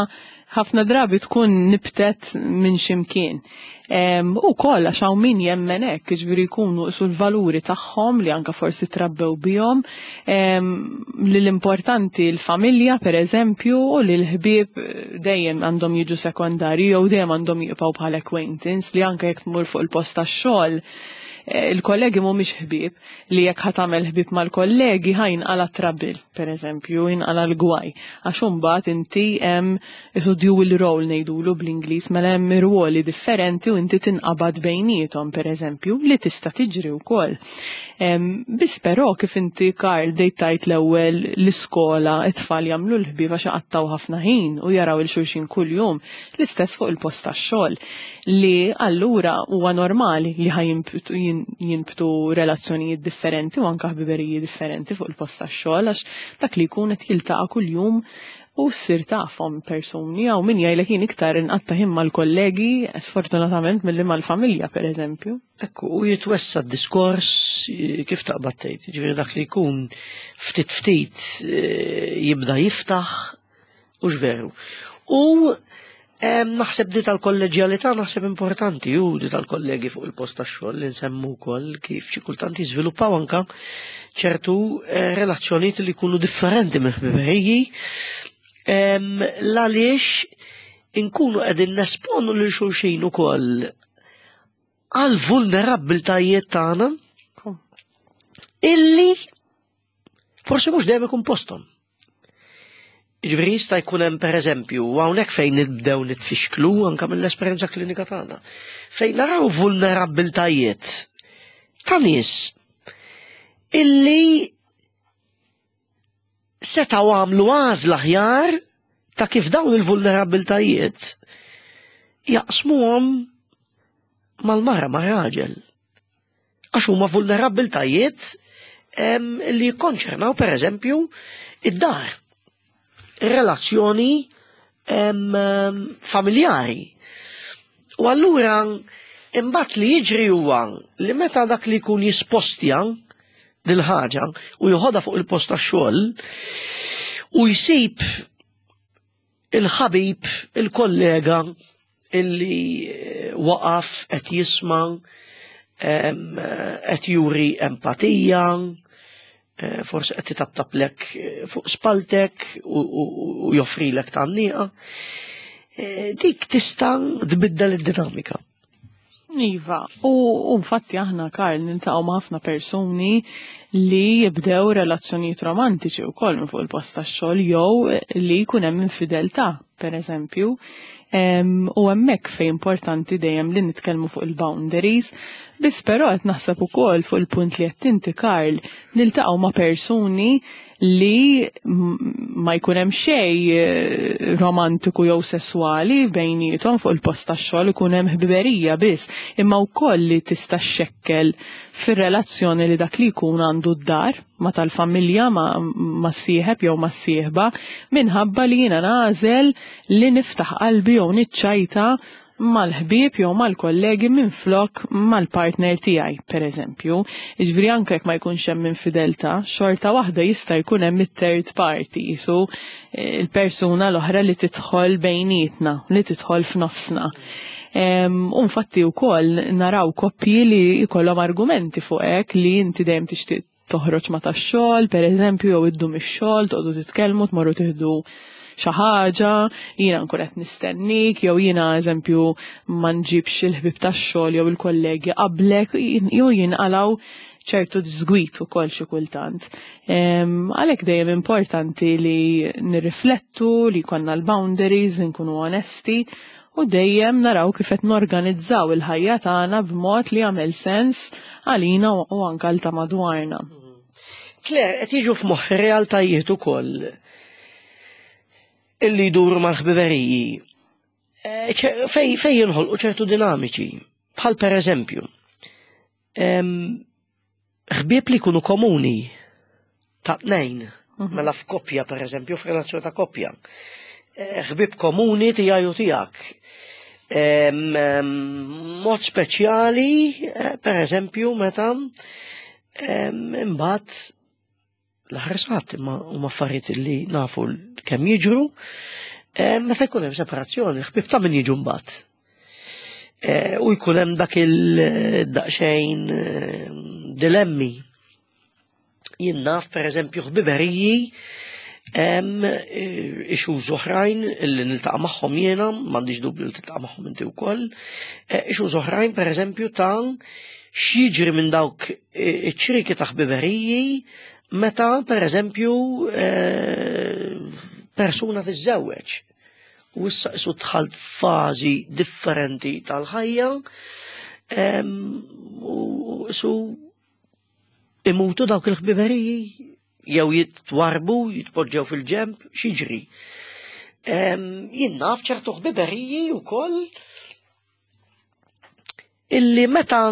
ħafna drabi tkun nibtet minn ximkien. U koll għax hawn min jemmen hekk, jiġifieri jkunu sul valuri tagħhom li anka forsi trabbew bihom, li l-importanti l-familja, per eżempju, u li l-ħbieb dejjem għandhom jiġu sekondari jew dejjem għandhom jibqgħu bħal acquaintance, li anka jekk tmur fuq il-post tax-xogħol, eh, il-kollegi mhumiex ħbieb, li jekk ħa tagħmel ħbieb mal-kollegi ħa jinqala trouble, per eżempju, jinqala l-gwaj. Għax imbagħad inti hemm isu dual role ngħidulu bl-Ingliż, mela hemm ruoli differenti u inti tinqabad bejniethom, per eżempju, li tista' tiġri wkoll. Biss però kif inti, Karl, bdejt tgħid l-ewwel, l-iskola it-tfal jagħmlu l-ħbieb għax iqattgħu ħafna ħin u jaraw il xulxin kuljum, l-istess fuq il-post tax-xogħol, li allura huwa normali li ħa jinbtu relazzjonijiet differenti u anka ħbiberiji differenti fuq il-post tax-xogħol, għax dak li jkun qed jiltaqa' kuljum u ssir tafhom persuni. Hawn min jgħidlek, "Jien iktar inqatta' ħin mal-kollegi sfortunatament milli mal-familja", per eżempju. Ekku, u jitwessa d-diskors eh, kif taqbad tgħid, ġifieri dak li jkun ftit ftit eh, jibda jiftaħ u veru. U em, naħseb di tal-kolleġjalità naħseb importanti u di tal-kollegi fuq il-post tax-xogħol li nsemmu wkoll kif xi kultant jiżviluppaw anka ċertu eh, relazzjonijiet li jkunu differenti minn ħbiberiji em, l-għaliex inkunu qegħdin nesponu lil xulxin ukoll għal vulnerabbiltajiet tagħna illi forsi mhux dejjem ikun posthom. Ġifieri jista' jkun hemm, pereżempju, hawnhekk fejn nibdew nitfixklu anke mill-esperjenza klinika tagħna, fejn naraw vulnerabbiltajiet ta' nies illi setgħu għamlu għażla aħjar ta' kif dawn il-vulnerabbiltajiet jaqsmuhom mal-mara, ma' raġel. Għax huma vulnerabbiltajiet em, li jikkonċernaw, per eżempju, id-dar, relazzjoni em, em, familjari. U allura imbagħad li jiġri huwa li meta dak li jkun jispostja dil-ħaġa u joħodha fuq il-post tax-xogħol u jsib il-ħabib, il-kollega illi eh, waqaf qed jisma', em, eh, qed juri empatija, eh, forsi qed itaptaplek eh, fuq spaltek u, u, u joffrilek tgħanniqa. Eh, Dik tista' tbiddel id-dinamika. Iva, u infatti aħna, Karl, niltaqgħu ma' ħafna persuni li jibdew relazzjonijiet romantiċi wkoll minn fuq il-post tax-xogħol jew li jkun hemm infideltà, pereżempju. U hemmhekk fejn importanti dejjem li nitkellmu fuq il-boundaries, biss però qed naħseb ukoll fuq il-punt li qed inti, Karl, niltaqgħu ma' persuni li ma jkun hemm xejn eh, romantiku jew sesswali bejniethom fuq il-post tax-xogħol, ikun hemm ħbiberija biss, imma wkoll li tista' xekkel fir-relazzjoni li dak li jkun għandu d-dar ma tal-familja, ma, ma sieħeb jew ma sieħba, minħabba li jiena nagħżel li niftaħ qalbi jew niċċajta mal-ħbieb jew mal-kollegi minn flok mal-partner tiegħi, per eżempju. Jiġifieri anke jekk ma jkunx hemm infideltà, xorta waħda jista' jkun hemm it-third party, su eh, il-persuna l-oħra li tidħol bejnietna, li tidħol f'nofsna. U infatti wkoll naraw koppji li jkollhom argumenti fuq hekk, li inti dejjem tixtieq toħroġ ma tax-xogħol, per eżempju, jew iddum ix-xogħol, toqgħodu titkellmu, tmorru tieħdu xi ħaġa, jiena nkun qed nistennik, jew jiena, eżempju, ma nġibx il-ħbib tax-xogħol jew il-kollegi qablek, jew jinqalgħu ċertu diżgwit ukoll xi kultant. Għalhekk dejjem importanti li nirriflettu, li jkollna l-boundaries, li nkunu onesti u dejjem naraw kif qed norganizzaw il-ħajja tagħna b'mod li jagħmel sens għalina u anke għal ta' madwarna. Claire, qed jiġu f'moħħi realtajiet ukoll illi jduru mal-ħbiberiji. Eh, fej, fej jinħolqu ċertu dinamiċi, bħal per eżempju, ħbieb li jkunu komuni ta' tnejn, mhm. mela f'koppja, per eżempju, f'relazzjoni ta' koppja. Eh, ħbieb komuni tiegħi u tiegħek. Mod speċjali, eh, per eżempju, meta imbagħad l-ħarsat imma huma affarijiet li nafu kemm jiġru, meta jkun hemm separazzjoni, ħbieb ta' min jiġu mbagħad. Eh, u jkun hemm dak il-daqsxejn dilemmi. Jien naf, per eżempju, ħbiberiji, hemm issues oħrajn li niltaqa' magħhom jiena, m'għandix dubju li tiltaqa' magħhom inti wkoll, issues oħrajn, per eżempju, ta' x'jiġri minn dawk iċ-ċrieki ta' ħbiberiji meta, per eżempju, persuna tiżżewweġ. U issa isu dħalt fażi differenti tal-ħajja u isu imutu dawk il-ħbiberiji jew jitwarbu, jitpoġġew fil-ġemp, x'jiġri? Jien naf ċertu ħbiberiji wkoll illi meta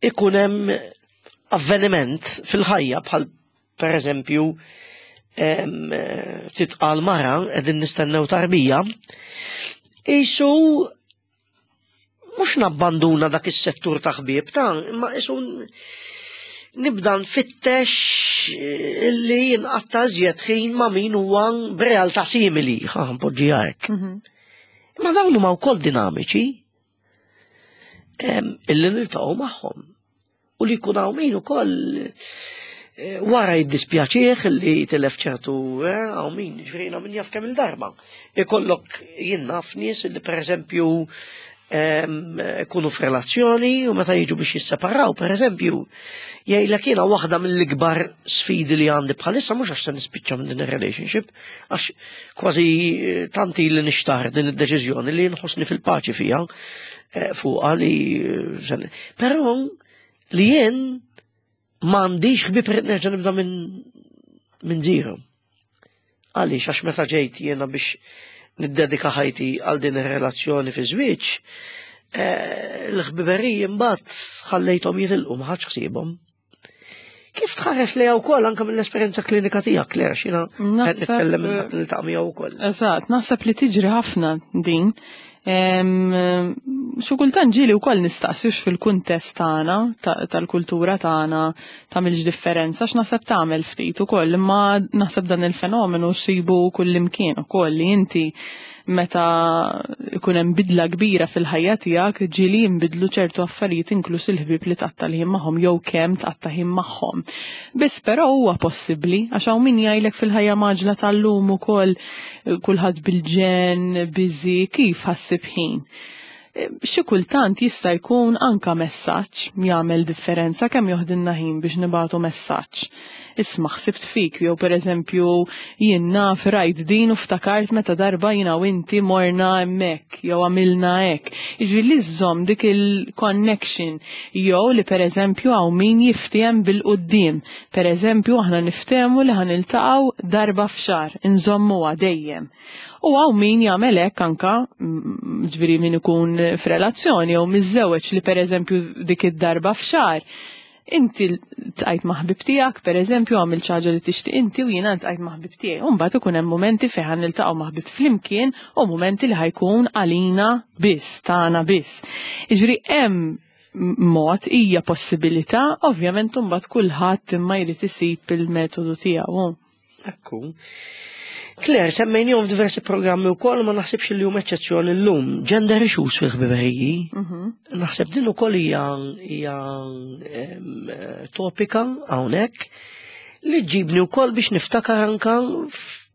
ikun hemm avveniment fil-ħajja, bħal per eżempju titqal mara, qegħdin nistennew tarbija, isu mhux nabbanduna dak is-settur ta' ħbieb ta' imma isu nibda nfittex illi nqatta' iżjed ħin ma' min huwa b'realtà simili, ħa npoġġiha hekk. Mhm. Imma dawn huma wkoll dinamiċi illi niltaqgħu magħhom. U li jkun hawn min ukoll eh, wara jiddispjaċih li tilef ċertu, eh, hawn min, ġifieri min jaf kemm il-darba. Ikollok, jien naf nies li, per eżempju, kunu f'relazzjoni u meta jiġu biex jisseparaw, per eżempju, jgħidlek, "Jiena waħda mill-ikbar sfidi li għandi bħalissa mhux għax se nispiċċa minn din ir-relationship, għax kważi eh, tanti li nixtar din id-deċiżjoni li nħossni fil-paċi fija eh, fuqha li eh, però li jien m'għandix ħbieb, nerġa' nibda minn minn zero. Għaliex? Għax meta ġejt jiena biex niddedika ħajti għal din ir-relazzjoni fi żwieġ, eh, l-ħbiberiji mbagħad ħallejthom jitilqu, ma ħadx ħsiebhom." Kif tħares li wkoll anke mill-esperjenza klinika tiegħek, Claire, x'jiena qed nitkellem minn dak li niltaqa' miegħu wkoll? Eżatt, naħseb li tiġri ħafna din. Xi kultant ġieli wkoll nistaqsux fil-kuntest tagħna, tal-kultura tagħna, tagħmilx differenza, għax naħseb tagħmel ftit ukoll, imma naħseb dan il-fenomenu ssibu kullimkien ukoll, li inti meta ikun hemm bidla kbira fil-ħajja tiegħek, ġieli jinbidlu ċertu affarijiet, inkluż il-ħbieb li tqatta' l-ħin magħhom jew kemm tqatta' ħin magħhom. Biss però huwa possibbli, għax hawn min jgħidlek, "Fil-ħajja mgħaġġla tal-lum ukoll, kulħadd bil-ġenn, busy, kif ħa ssib ħin?" Xi kultant jista' jkun anka messaġġ jagħmel differenza. Kemm joħdilna ħin biex nibagħtu messaġġ? "Isma', ħsibt fik", jew pereżempju "jien naf rajt din u ftakart meta darba jiena u inti morna hemmhekk jew għamilna hekk". Jiġifieri li żżomm dik il-connection, jew li pereżempju hawn min jiftiem bil-quddiem. Pereżempju, aħna niftehmu li ħa niltaqgħu darba f'xahar, inżommuha dejjem. U hawn min jagħmel hekk anka, mm, ġifieri min ikun f'relazzjoni jew miżżewweġ, li pereżempju dik id-darba f'xahar inti ltqajt ma' ħbib tiegħek, pereżempju, għamil ħaġa li tixtieq inti u jiena ltqajt ma' ħbib tiegħi. U mbagħad ikun hemm momenti fejn ħa niltaqgħu ma' ħbib flimkien u momenti li ħa jkun għalina biss, tagħna biss. Jiġifieri hemm mod, hija possibilità, ovvjament mbagħad kulħadd imma jrid isib il-metodu tiegħu. Ekku. Claire, semmejnihom f'diversi programmi wkoll, ma naħsibx li hum eċċezzjoni llum. Gender issues fil-ħbiberiji. Mhm. Naħseb din ukoll hija hija em, topika hawnhekk li ġibni wkoll biex niftakar anka f-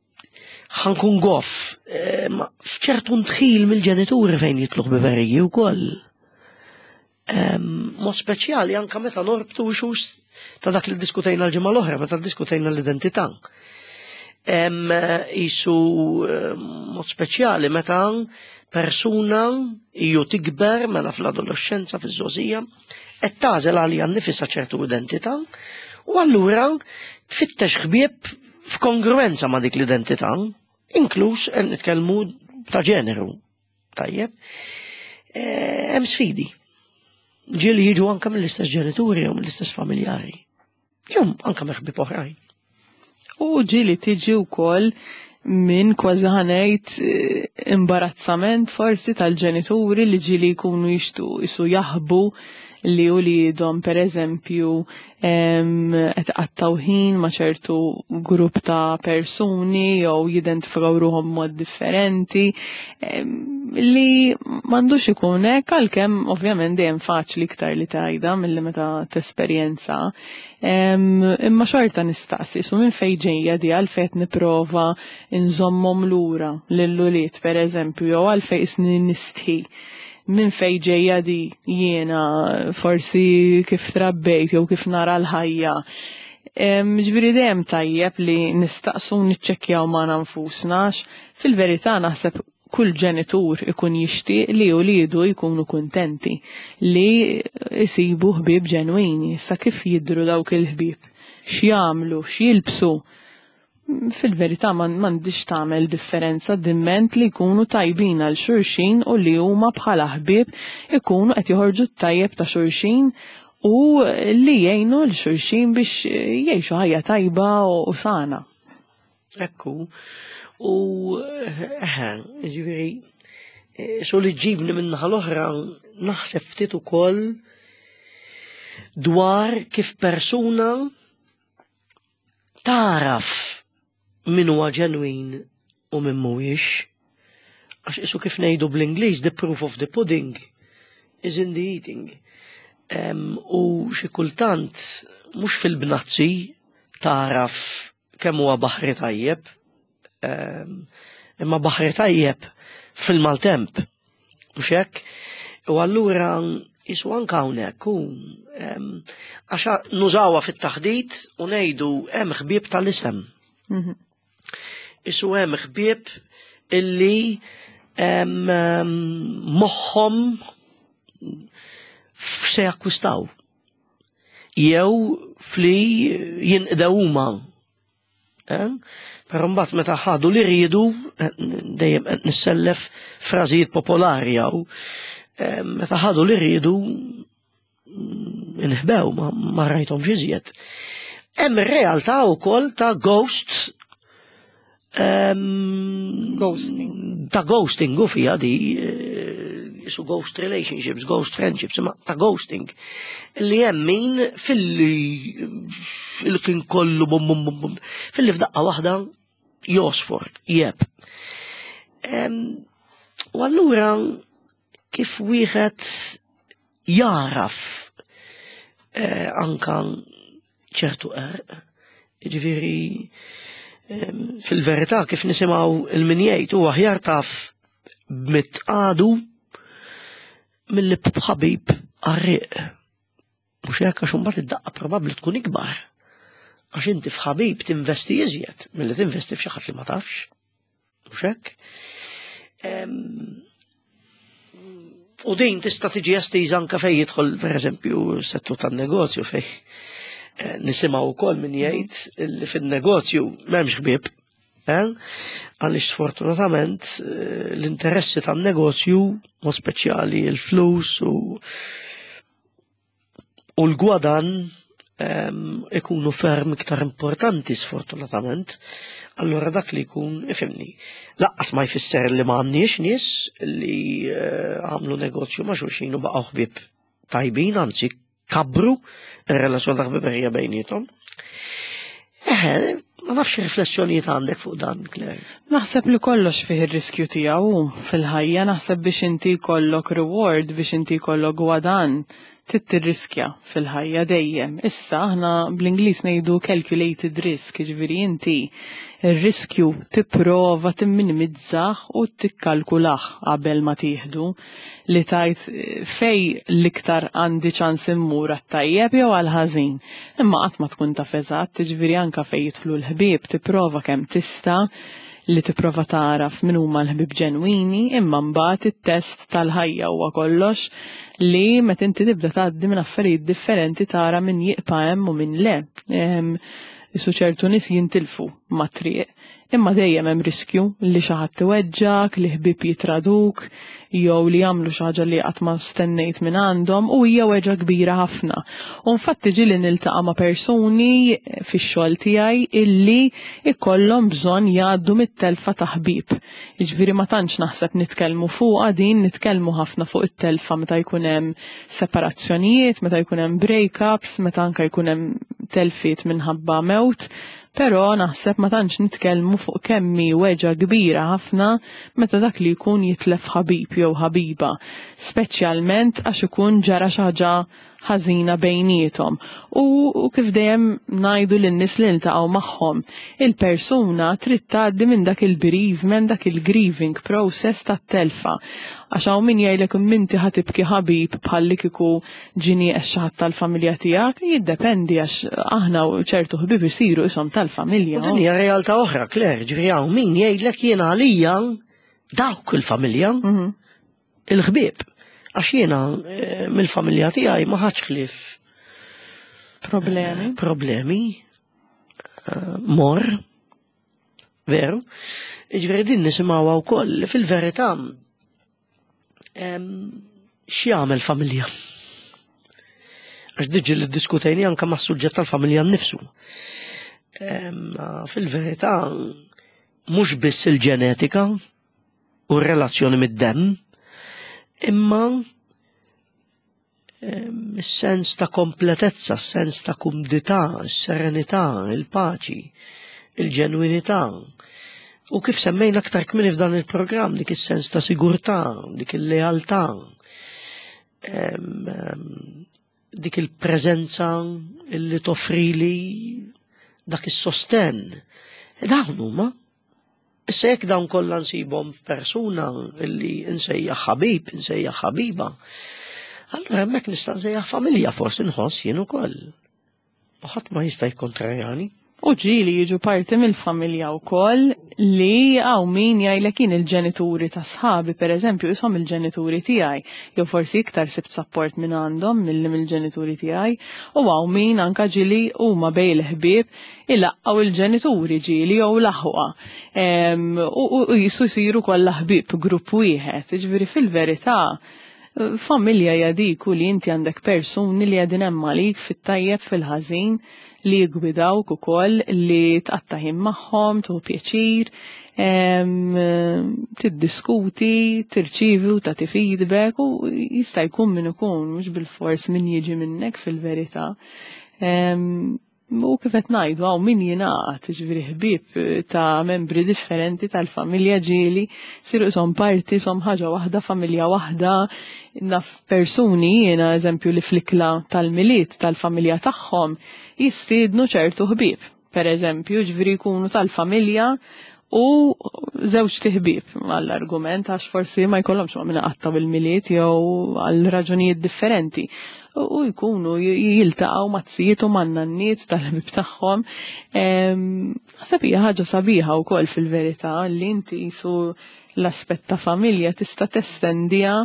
ħa nkun goff, eh, ma f'ċertu ndħil mill-ġenituri fejn jidħlu ħbiberiji wkoll. Em, Mod speċjali anka meta norbtu issues ta' dak li diskutejna l-ġimgħa l-oħra, meta diskutejna l-identità. Em, Isu eh, mod speċjali meta persuna iju tikber mela fl-adolescenza, fiż-żgħożija, qed tagħżel għalija nnifisha ċertu identità u allura tfittex ħbieb f'kongruenza ma' dik l-identità, inkluż qed nitkellmu ta' ġeneru. Tajjeb. Eh, Hemm sfidi. Ġieli jiġu anka mill-istess ġenituri jew mill-istess familjari. Jew anka ħbieb oħrajn. U ġieli tiġi wkoll minn kważi ħa ngħid eh, imbarazzament forsi tal-ġenituri li ġieli jkunu jixtu jisu jaħbu li uliedhom per eżempju qed qattaw ħin ma' ċertu grupp ta' persuni jew jidentifikaw ruħhom mod differenti em, li m'għandux ikun hekk, għalkemm ovvjament dejjem faċli iktar li tgħidha milli meta tesperjenza. Em, Imma xorta nistaqsi, su minn fejn ġejja di, għalfejn qed nipprova nżommhom lura lil-ulied per eżempju, jew għalfejn isni nistħi, minn fej ġejja di, jiena forsi kif trabbejt jew kif nara l-ħajja? Em, Ġifieri dejjem tajjeb li nistaqsu, niċċekkjaw ma' nfusna, għax fil-verità naħseb kull ġenitur ikun jixtieq li uliedu jkunu kuntenti, li jsibu ħbieb ġenwini. Issa kif jidru dawk il-ħbieb, x'jagħmlu, x'jilbsu, fil-verità m'għandix tagħmel differenza dimment li jkunu tajbin għal xulxin u li huma bħala ħbieb ikunu qed joħorġu t-tajjeb ta' xulxin u li jgħinu l xulxin biex jgħixu ħajja tajba u sana. Ekku, u eħe, ġifieri, eh, so li ġibni minnaħa l-oħra naħseb ftit ukoll dwar kif persuna taraf min huwa ġenwin u min mhuwiex. Għax isu kif ngħidu bl-Ingliż, "the proof of the pudding is in the eating". Em, u xi kultant mhux fil-bnazzi taraf kemm huwa baħri tajjeb, em, imma baħri tajjeb fil-maltemp. Mhux hekk? U allura jisu anka hawnhekk u em, għax nużawha fit-taħdit u ngħidu hemm ħbieb tal-isem. Mhm. Isu hemm ħbieb illi em, em, moħħhom f'se jakkwistaw. Jew fli jinqdew huma. Eh? Però mbagħad meta ħadu li riedu, eh, dejjem qed nissellef frażijiet popolari jew eh, meta ħadu li riedu mm, inħbew, ma, ma rajthomx iżjed. Hemm ir-realtà wkoll ta' ghost em, Ghosting. Ta' ghosting u fija di eh, su ghost relationships, ghost friendships, imma ta' ghosting. Li hemm min filli il kien kollu bum bum bum bum, filli f'daqqa waħda josfor, jeb. Em, U allura kif wieħed jaraf eh, anka ċertu qerq, ġifieri em, fil-verità kif nisimgħu il-min jgħid huwa aħjar taf b'mitqadu Milli b'ħabib qarrieq. Mhux hekk, għax imbagħad id-daqqa probabbli tkun ikbar. Għax inti f'ħabib tinvesti iżjed milli tinvesti f'xi ħadd li ma tafx. Mhux hekk? Em, U din tista' tiġi estiża anke fejn jidħol, pereżempju, settur tan-negozju, fejn eh, nisimgħu wkoll min jgħid li fin-negozju m'hemmx ħbieb. Eh? Għaliex sfortunatament eh, l-interessi tan-negozju, mod speċjali il-flus u u l-gwadan, em, ikunu ferm iktar importanti, sfortunatament. Allora dak li jkun, ifhimni, lanqas ma jfisser li ma għandniex nies li eh, għamlu negozju ma' xulxin u baqgħu ħbieb tajbin, anzi kabru ir-relazzjoni ta' ħbiberija bejniethom. Eħe, ma nafx riflessjonijiet għandek fuq dan, Claire. Naħseb li kollox fih ir-riskju tiegħu fil-ħajja, naħseb biex inti jkollok reward, biex inti jkollok gwadan, trid tirriskja fil-ħajja dejjem. Issa aħna bl-Ingliż ngħidu calculated risk, jiġifieri inti ir-riskju tipprova timminimizzah u tikkalkulah qabel ma tieħdu, li tgħid eh, fej l-iktar għandi ċans immur, għat-tajjeb jew għal-ħażin. Imma qatt ma tkun taf eżatt, jiġifieri anka fejn jidħlu l-ħbieb tipprova kemm tista' li tipprova taraf min huma l-ħbieb ġenwini, imma mbagħad it-test tal-ħajja huwa kollox li meta inti tibda tgħaddi minn affarijiet differenti tara min jibqa' hemm u min le. Em, Isu ċertu nies jintilfu mat-triq, imma dejjem hemm riskju li xi ħadd iweġġak, li ħbieb jitraduk, jew li jagħmlu xi ħaġa li qatt ma stennejt minn għandhom, u hija weġgħa kbira ħafna. U infatti ġieli niltaqa' ma' persuni fix-xogħol tiegħi illi ikollhom bżonn jgħaddu mit-telfa ta' ħbieb. Jiġifieri ma tantx naħseb nitkellmu fuqha din, nitkellmu ħafna fuq it-telfa meta jkun hemm separazzjonijiet, meta jkun hemm breakups, meta anke jkun hemm telfiet minħabba mewt, però naħseb ma tantx nitkellmu fuq kemm hi weġgħa kbira ħafna meta dak li jkun jitlef ħabib jew ħabiba, speċjalment għax ikun ġara xi ħaġa ħażina bejniethom. U, u kif dejjem ngħidu lin-nies li niltaqgħu magħhom, il-persuna trid tgħaddi minn dak il-bereavement, dak il-grieving process tat-telfa. Għax hawn min jgħidlek, "Minti ħa tibki ħabib bħalli kieku ġie nieqes xi ħadd tal-familja tiegħek?" Jiddependi, għax aħna ċertu ħbieb isiru ishom tal-familja. U din hija realtà oħra, Claire, ġifieri hawn min jgħidlek, "Jiena għalija dawk il-familja, Mhm. il-ħbieb. Għax jiena eh, mill-familja tiegħi ma ħadx ħlief Problemi. problemi, eh, mor, veru. Ġifieri din nisimgħuha wkoll fil-verità, em, x'jagħmel familja? Għax diġi li diskutejni anka mas-suġġett tal-familja nnifsu. Em, Fil-verità mhux biss il-ġenetika u r-relazzjoni mid-demm, imma em, is-sens ta' kompletezza, s-sens ta' kumdità, s-serenità, il-paċi, il-ġenwinità. U kif semmejna aktar kmieni f'dan il-programm, dik is-sens ta' sigurtà, dik il-lealtà, em, em, dik il-preżenza illi toffrili dak is-sosten. E dawn huma. Issa jekk dawn kollha nsibhom f'persuna illi nsejjaħ ħabib, nsejjaħ ħabiba, allura hemmhekk nista' nsejjaħ familja, forsi nħoss jien ukoll. U ħadd ma jista' jikkontrarjani. U ġieli jiġu parti mill-familja wkoll, li hawn min jgħidlek, "Jien il-ġenituri ta' sħabi, per eżempju, ishom il-ġenituri tiegħi, jew forsi iktar sibt support minn għandhom milli mill-ġenituri tiegħi." U hawn min anka ġieli huma bejn il-ħbieb ilaqqgħu il-ġenituri ġieli jew l-aħwa. Em, U u- u jisu jsiru kollha ħbieb, grupp wieħed. Jiġifieri fil-verità familja hija dik u li inti għandek persuni li qegħdin hemm għalik fit-tajjeb, fil-ħażin, li jgwidawk ukoll, li tqatta' ħin magħhom, tieħu pjaċir, em, tiddiskuti, tirċivi u tagħti feedback, u jista' jkun min ikun, mhux bil-fors min jiġi minnek fil-verità. Em, U kif qed ngħidu, hawn min jingħaqad, ġifieri ħbieb ta' membri differenti tal-familja ġieli siru ishom parti, ishom ħaġa waħda, familja waħda. Naf persuni jiena, eżempju, li fl-ikla tal-Milied tal-familja tagħhom jistiednu ċertu ħbieb. Per eżempju, ġifieri jkunu tal-familja u żewġt iħbieb għall-argument, għax forsi ma jkollhomx ma' min iqattgħu il-Milied jew għal raġunijiet differenti. U jkunu jiltaqgħu maz-zijiet u man-nanniet tal-ħbieb tagħhom. Naħseb hija ħaġa sabiħa wkoll fil-verità li inti su l-aspett ta' familja tista' testendiha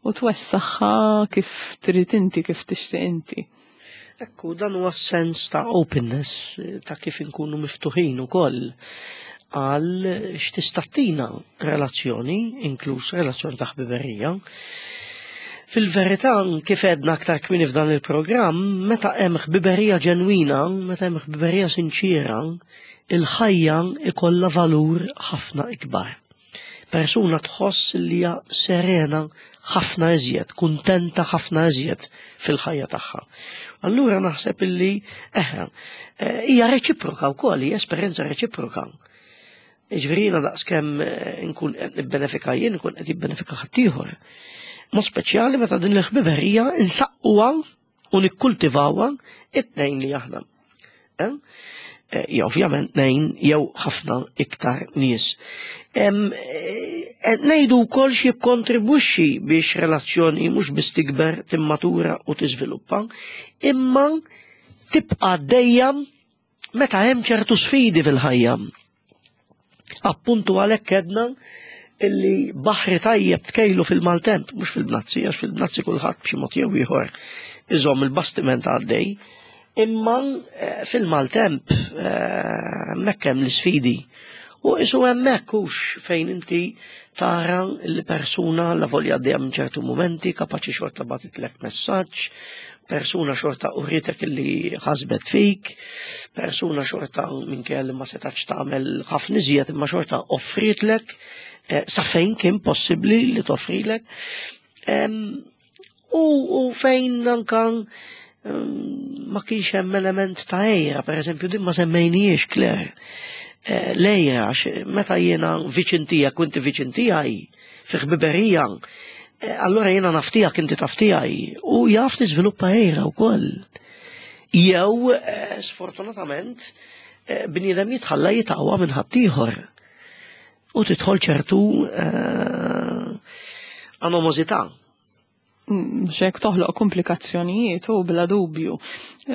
u twessaħħa kif trid inti, kif tixtieq inti. Ekku, dan huwa sens ta' openness, ta' kif inkunu miftuħin ukoll għal x'tista' ttina relazzjoni, inkluż relazzjoni ta' ħbiberija. Fil-verità, kif għedna aktar kmieni f'dan il-programm, meta hemm ħbiberija ġenwina, meta hemm ħbiberija sinċira, il-ħajja ikollha valur ħafna ikbar. Persuna tħoss li hija serena ħafna iżjed, kuntenta ħafna iżjed fil-ħajja tagħha. Allura naħseb illi eħe, eh, hija reċiproka wkoll, hija esperjenza reċiproka. Jiġifieri jiena daqskemm eh, nkun qed nibbenefika jien, nkun qed jibbenefika ħaddieħor. Mod speċjali meta din il-ħbiberija insaqquha u nikkultivawha it-tnejn li aħna. Eh? Eh, ja, ovvjament tnejn jew ħafna iktar nies. Ngħidu wkoll x'jikkontribwixxi biex relazzjoni mhux biss tikber, timmatura u tiżviluppa, imma tibqa' dejjem meta hemm ċertu sfidi fil-ħajja. Appuntu għalhekk għedna illi baħri tajjeb tkejlu fil-maltemp, mhux fil-bnazzi, għax fil-bnazzi kulħadd b'xi mod jew ieħor iżomm il-bastiment għaddej, imma eh, fil-maltemp eh, hemmhekk hemm l-isfidi. U isu hemmhekk hux fejn inti tara l-persuna la volja għaddejja minn ċertu momenti, kapaċi xorta bagħtitlek messaġġ, persuna xorta uritek illi ħasbet fik, persuna xorta minkejja li ma setax tagħmel ħafna iżjed imma xorta offritlek eh, sa fejn kien possibbli li toffrilek. U, u fejn anka ma kienx hemm element ta' għira, per eżempju, din ma semmejniex, Claire. Eh, l-għira, meta jiena viċin tiegħek u inti viċin tiegħi fi ħbiberija, eh, allora jiena naf tiegħek, inti taf tiegħi u jaf tiżviluppa għira wkoll. Jew, eh, sfortunatament, bniedem jitħalla jitgħawa minn ħaddieħor u tidħol ċertu animosità. Xek toħloq komplikazzjonijiet u bla dubju.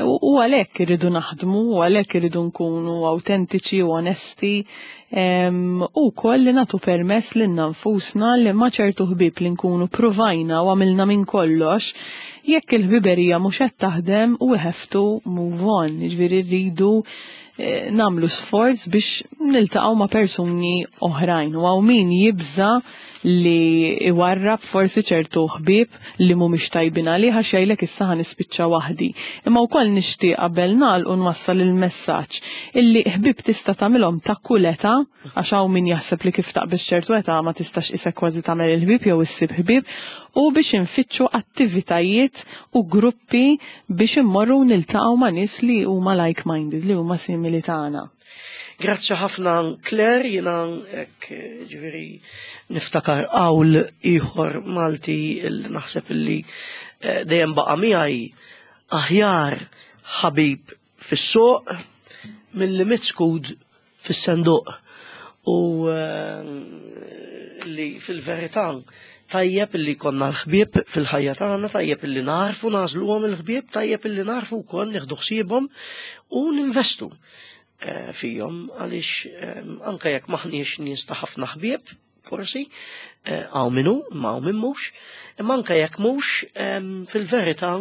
U għalhekk irridu naħdmu, u għalhekk irridu nkunu autentiċi u onesti, u koll li nagħtu permess lilna nfusna li ma ċertu ħbieb li nkunu provajna u għamilna minn kollox, jekk il-ħbiberija mhux qed taħdem, we have to move on. Jiġifieri rridu eh, nagħmlu sforz biex niltaqgħu ma' persuni oħrajn. U hawn min jibża li iwarrab forsi ċertu ħbieb li mhumiex tajbin għalih għax jgħidlek issa ħa nispiċċa waħdi. Imma wkoll nixtieq qabel nagħlqu nwassal il-messaġġ illi ħbieb tista' tagħmilhom ta' kull età, għax hawn min jaħseb li kif taqbeż ċertu età ma tistax isek kważi tagħmel il-ħbieb jew issib ħbieb, u biex infittxu attivitajiet u gruppi biex immorru niltaqgħu ma' nies li huma like-minded, li huma simili tagħna. Grazzi ħafna, Claire, jiena hekk ġifieri niftakar qawl ieħor Malti il naħseb illi eh, dejjem baqa' miegħi: aħjar ħabib fis-suq milli mitt skud fis-senduq. U eh, li fil-verità tajjeb illi konna l-ħbieb fil-ħajja tagħna, tajjeb illi narfu nagħżluhom il-ħbieb, tajjeb illi narfu wkoll nieħdu ħsiebhom u ninvestu eh, fihom, għaliex eh, anke jekk maħniex nies ta' ħafna ħbieb, forsi, eh, hawn min hu, ma hawn min mhux, imma anke jekk mhux, fil-verità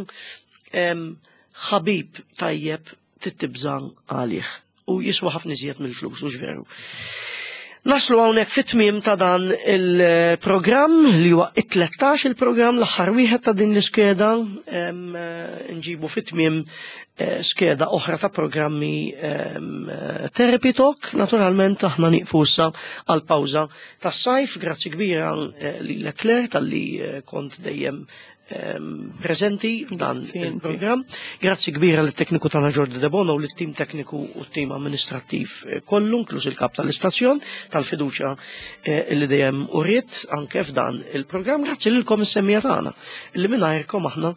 ħabib tajjeb titibżan għalih u jiswa ħafna iżjed mill-flus, u veru. Naslu hawnhekk fit-tmiem ta' dan il-programm li huwa it-tlettax il-programm, l-aħħar wieħed ta' din l-iskeda, nġibu fit-tmiem eh, skeda oħra ta' programmi Therapy Talk. Naturalment aħna nieqfu issa għal pawża tas-sajf. Grazzi kbira eh, lil Claire talli eh, kont dejjem preżenti f'dan il-programm. Grazzi kbira lit-tekniku tagħna Jordi Debono u lit-tim tekniku u t-tim amministrattiv kollu, inkluż il-kap tal-istazzjon, tal-fiduċja li dejjem uriet anke f'dan il-programm. Grazzi lilkom is-semmiegħa tagħna li mingħajrkom aħna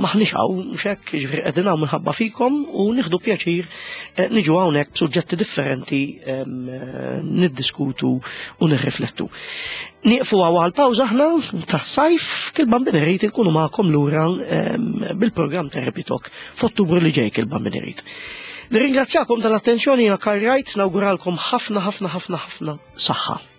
maħniex hawn, mhux hekk, jiġifieri qegħdin hawn minħabba fikom u nieħdu pjaċir niġu hawnhekk b'suġġetti differenti niddiskutu u nirriflettu. Nieqfu għal pawża aħna tas-sajf, kil-Bambin irid inkunu magħkom lura bil-programm Therapy Talk f'Ottubru li ġej, kil-Bambin irid. Nirringrazzjakom tal-attenzjoni, jiena Karl Wright, nawguralkom ħafna ħafna ħafna ħafna saħħa.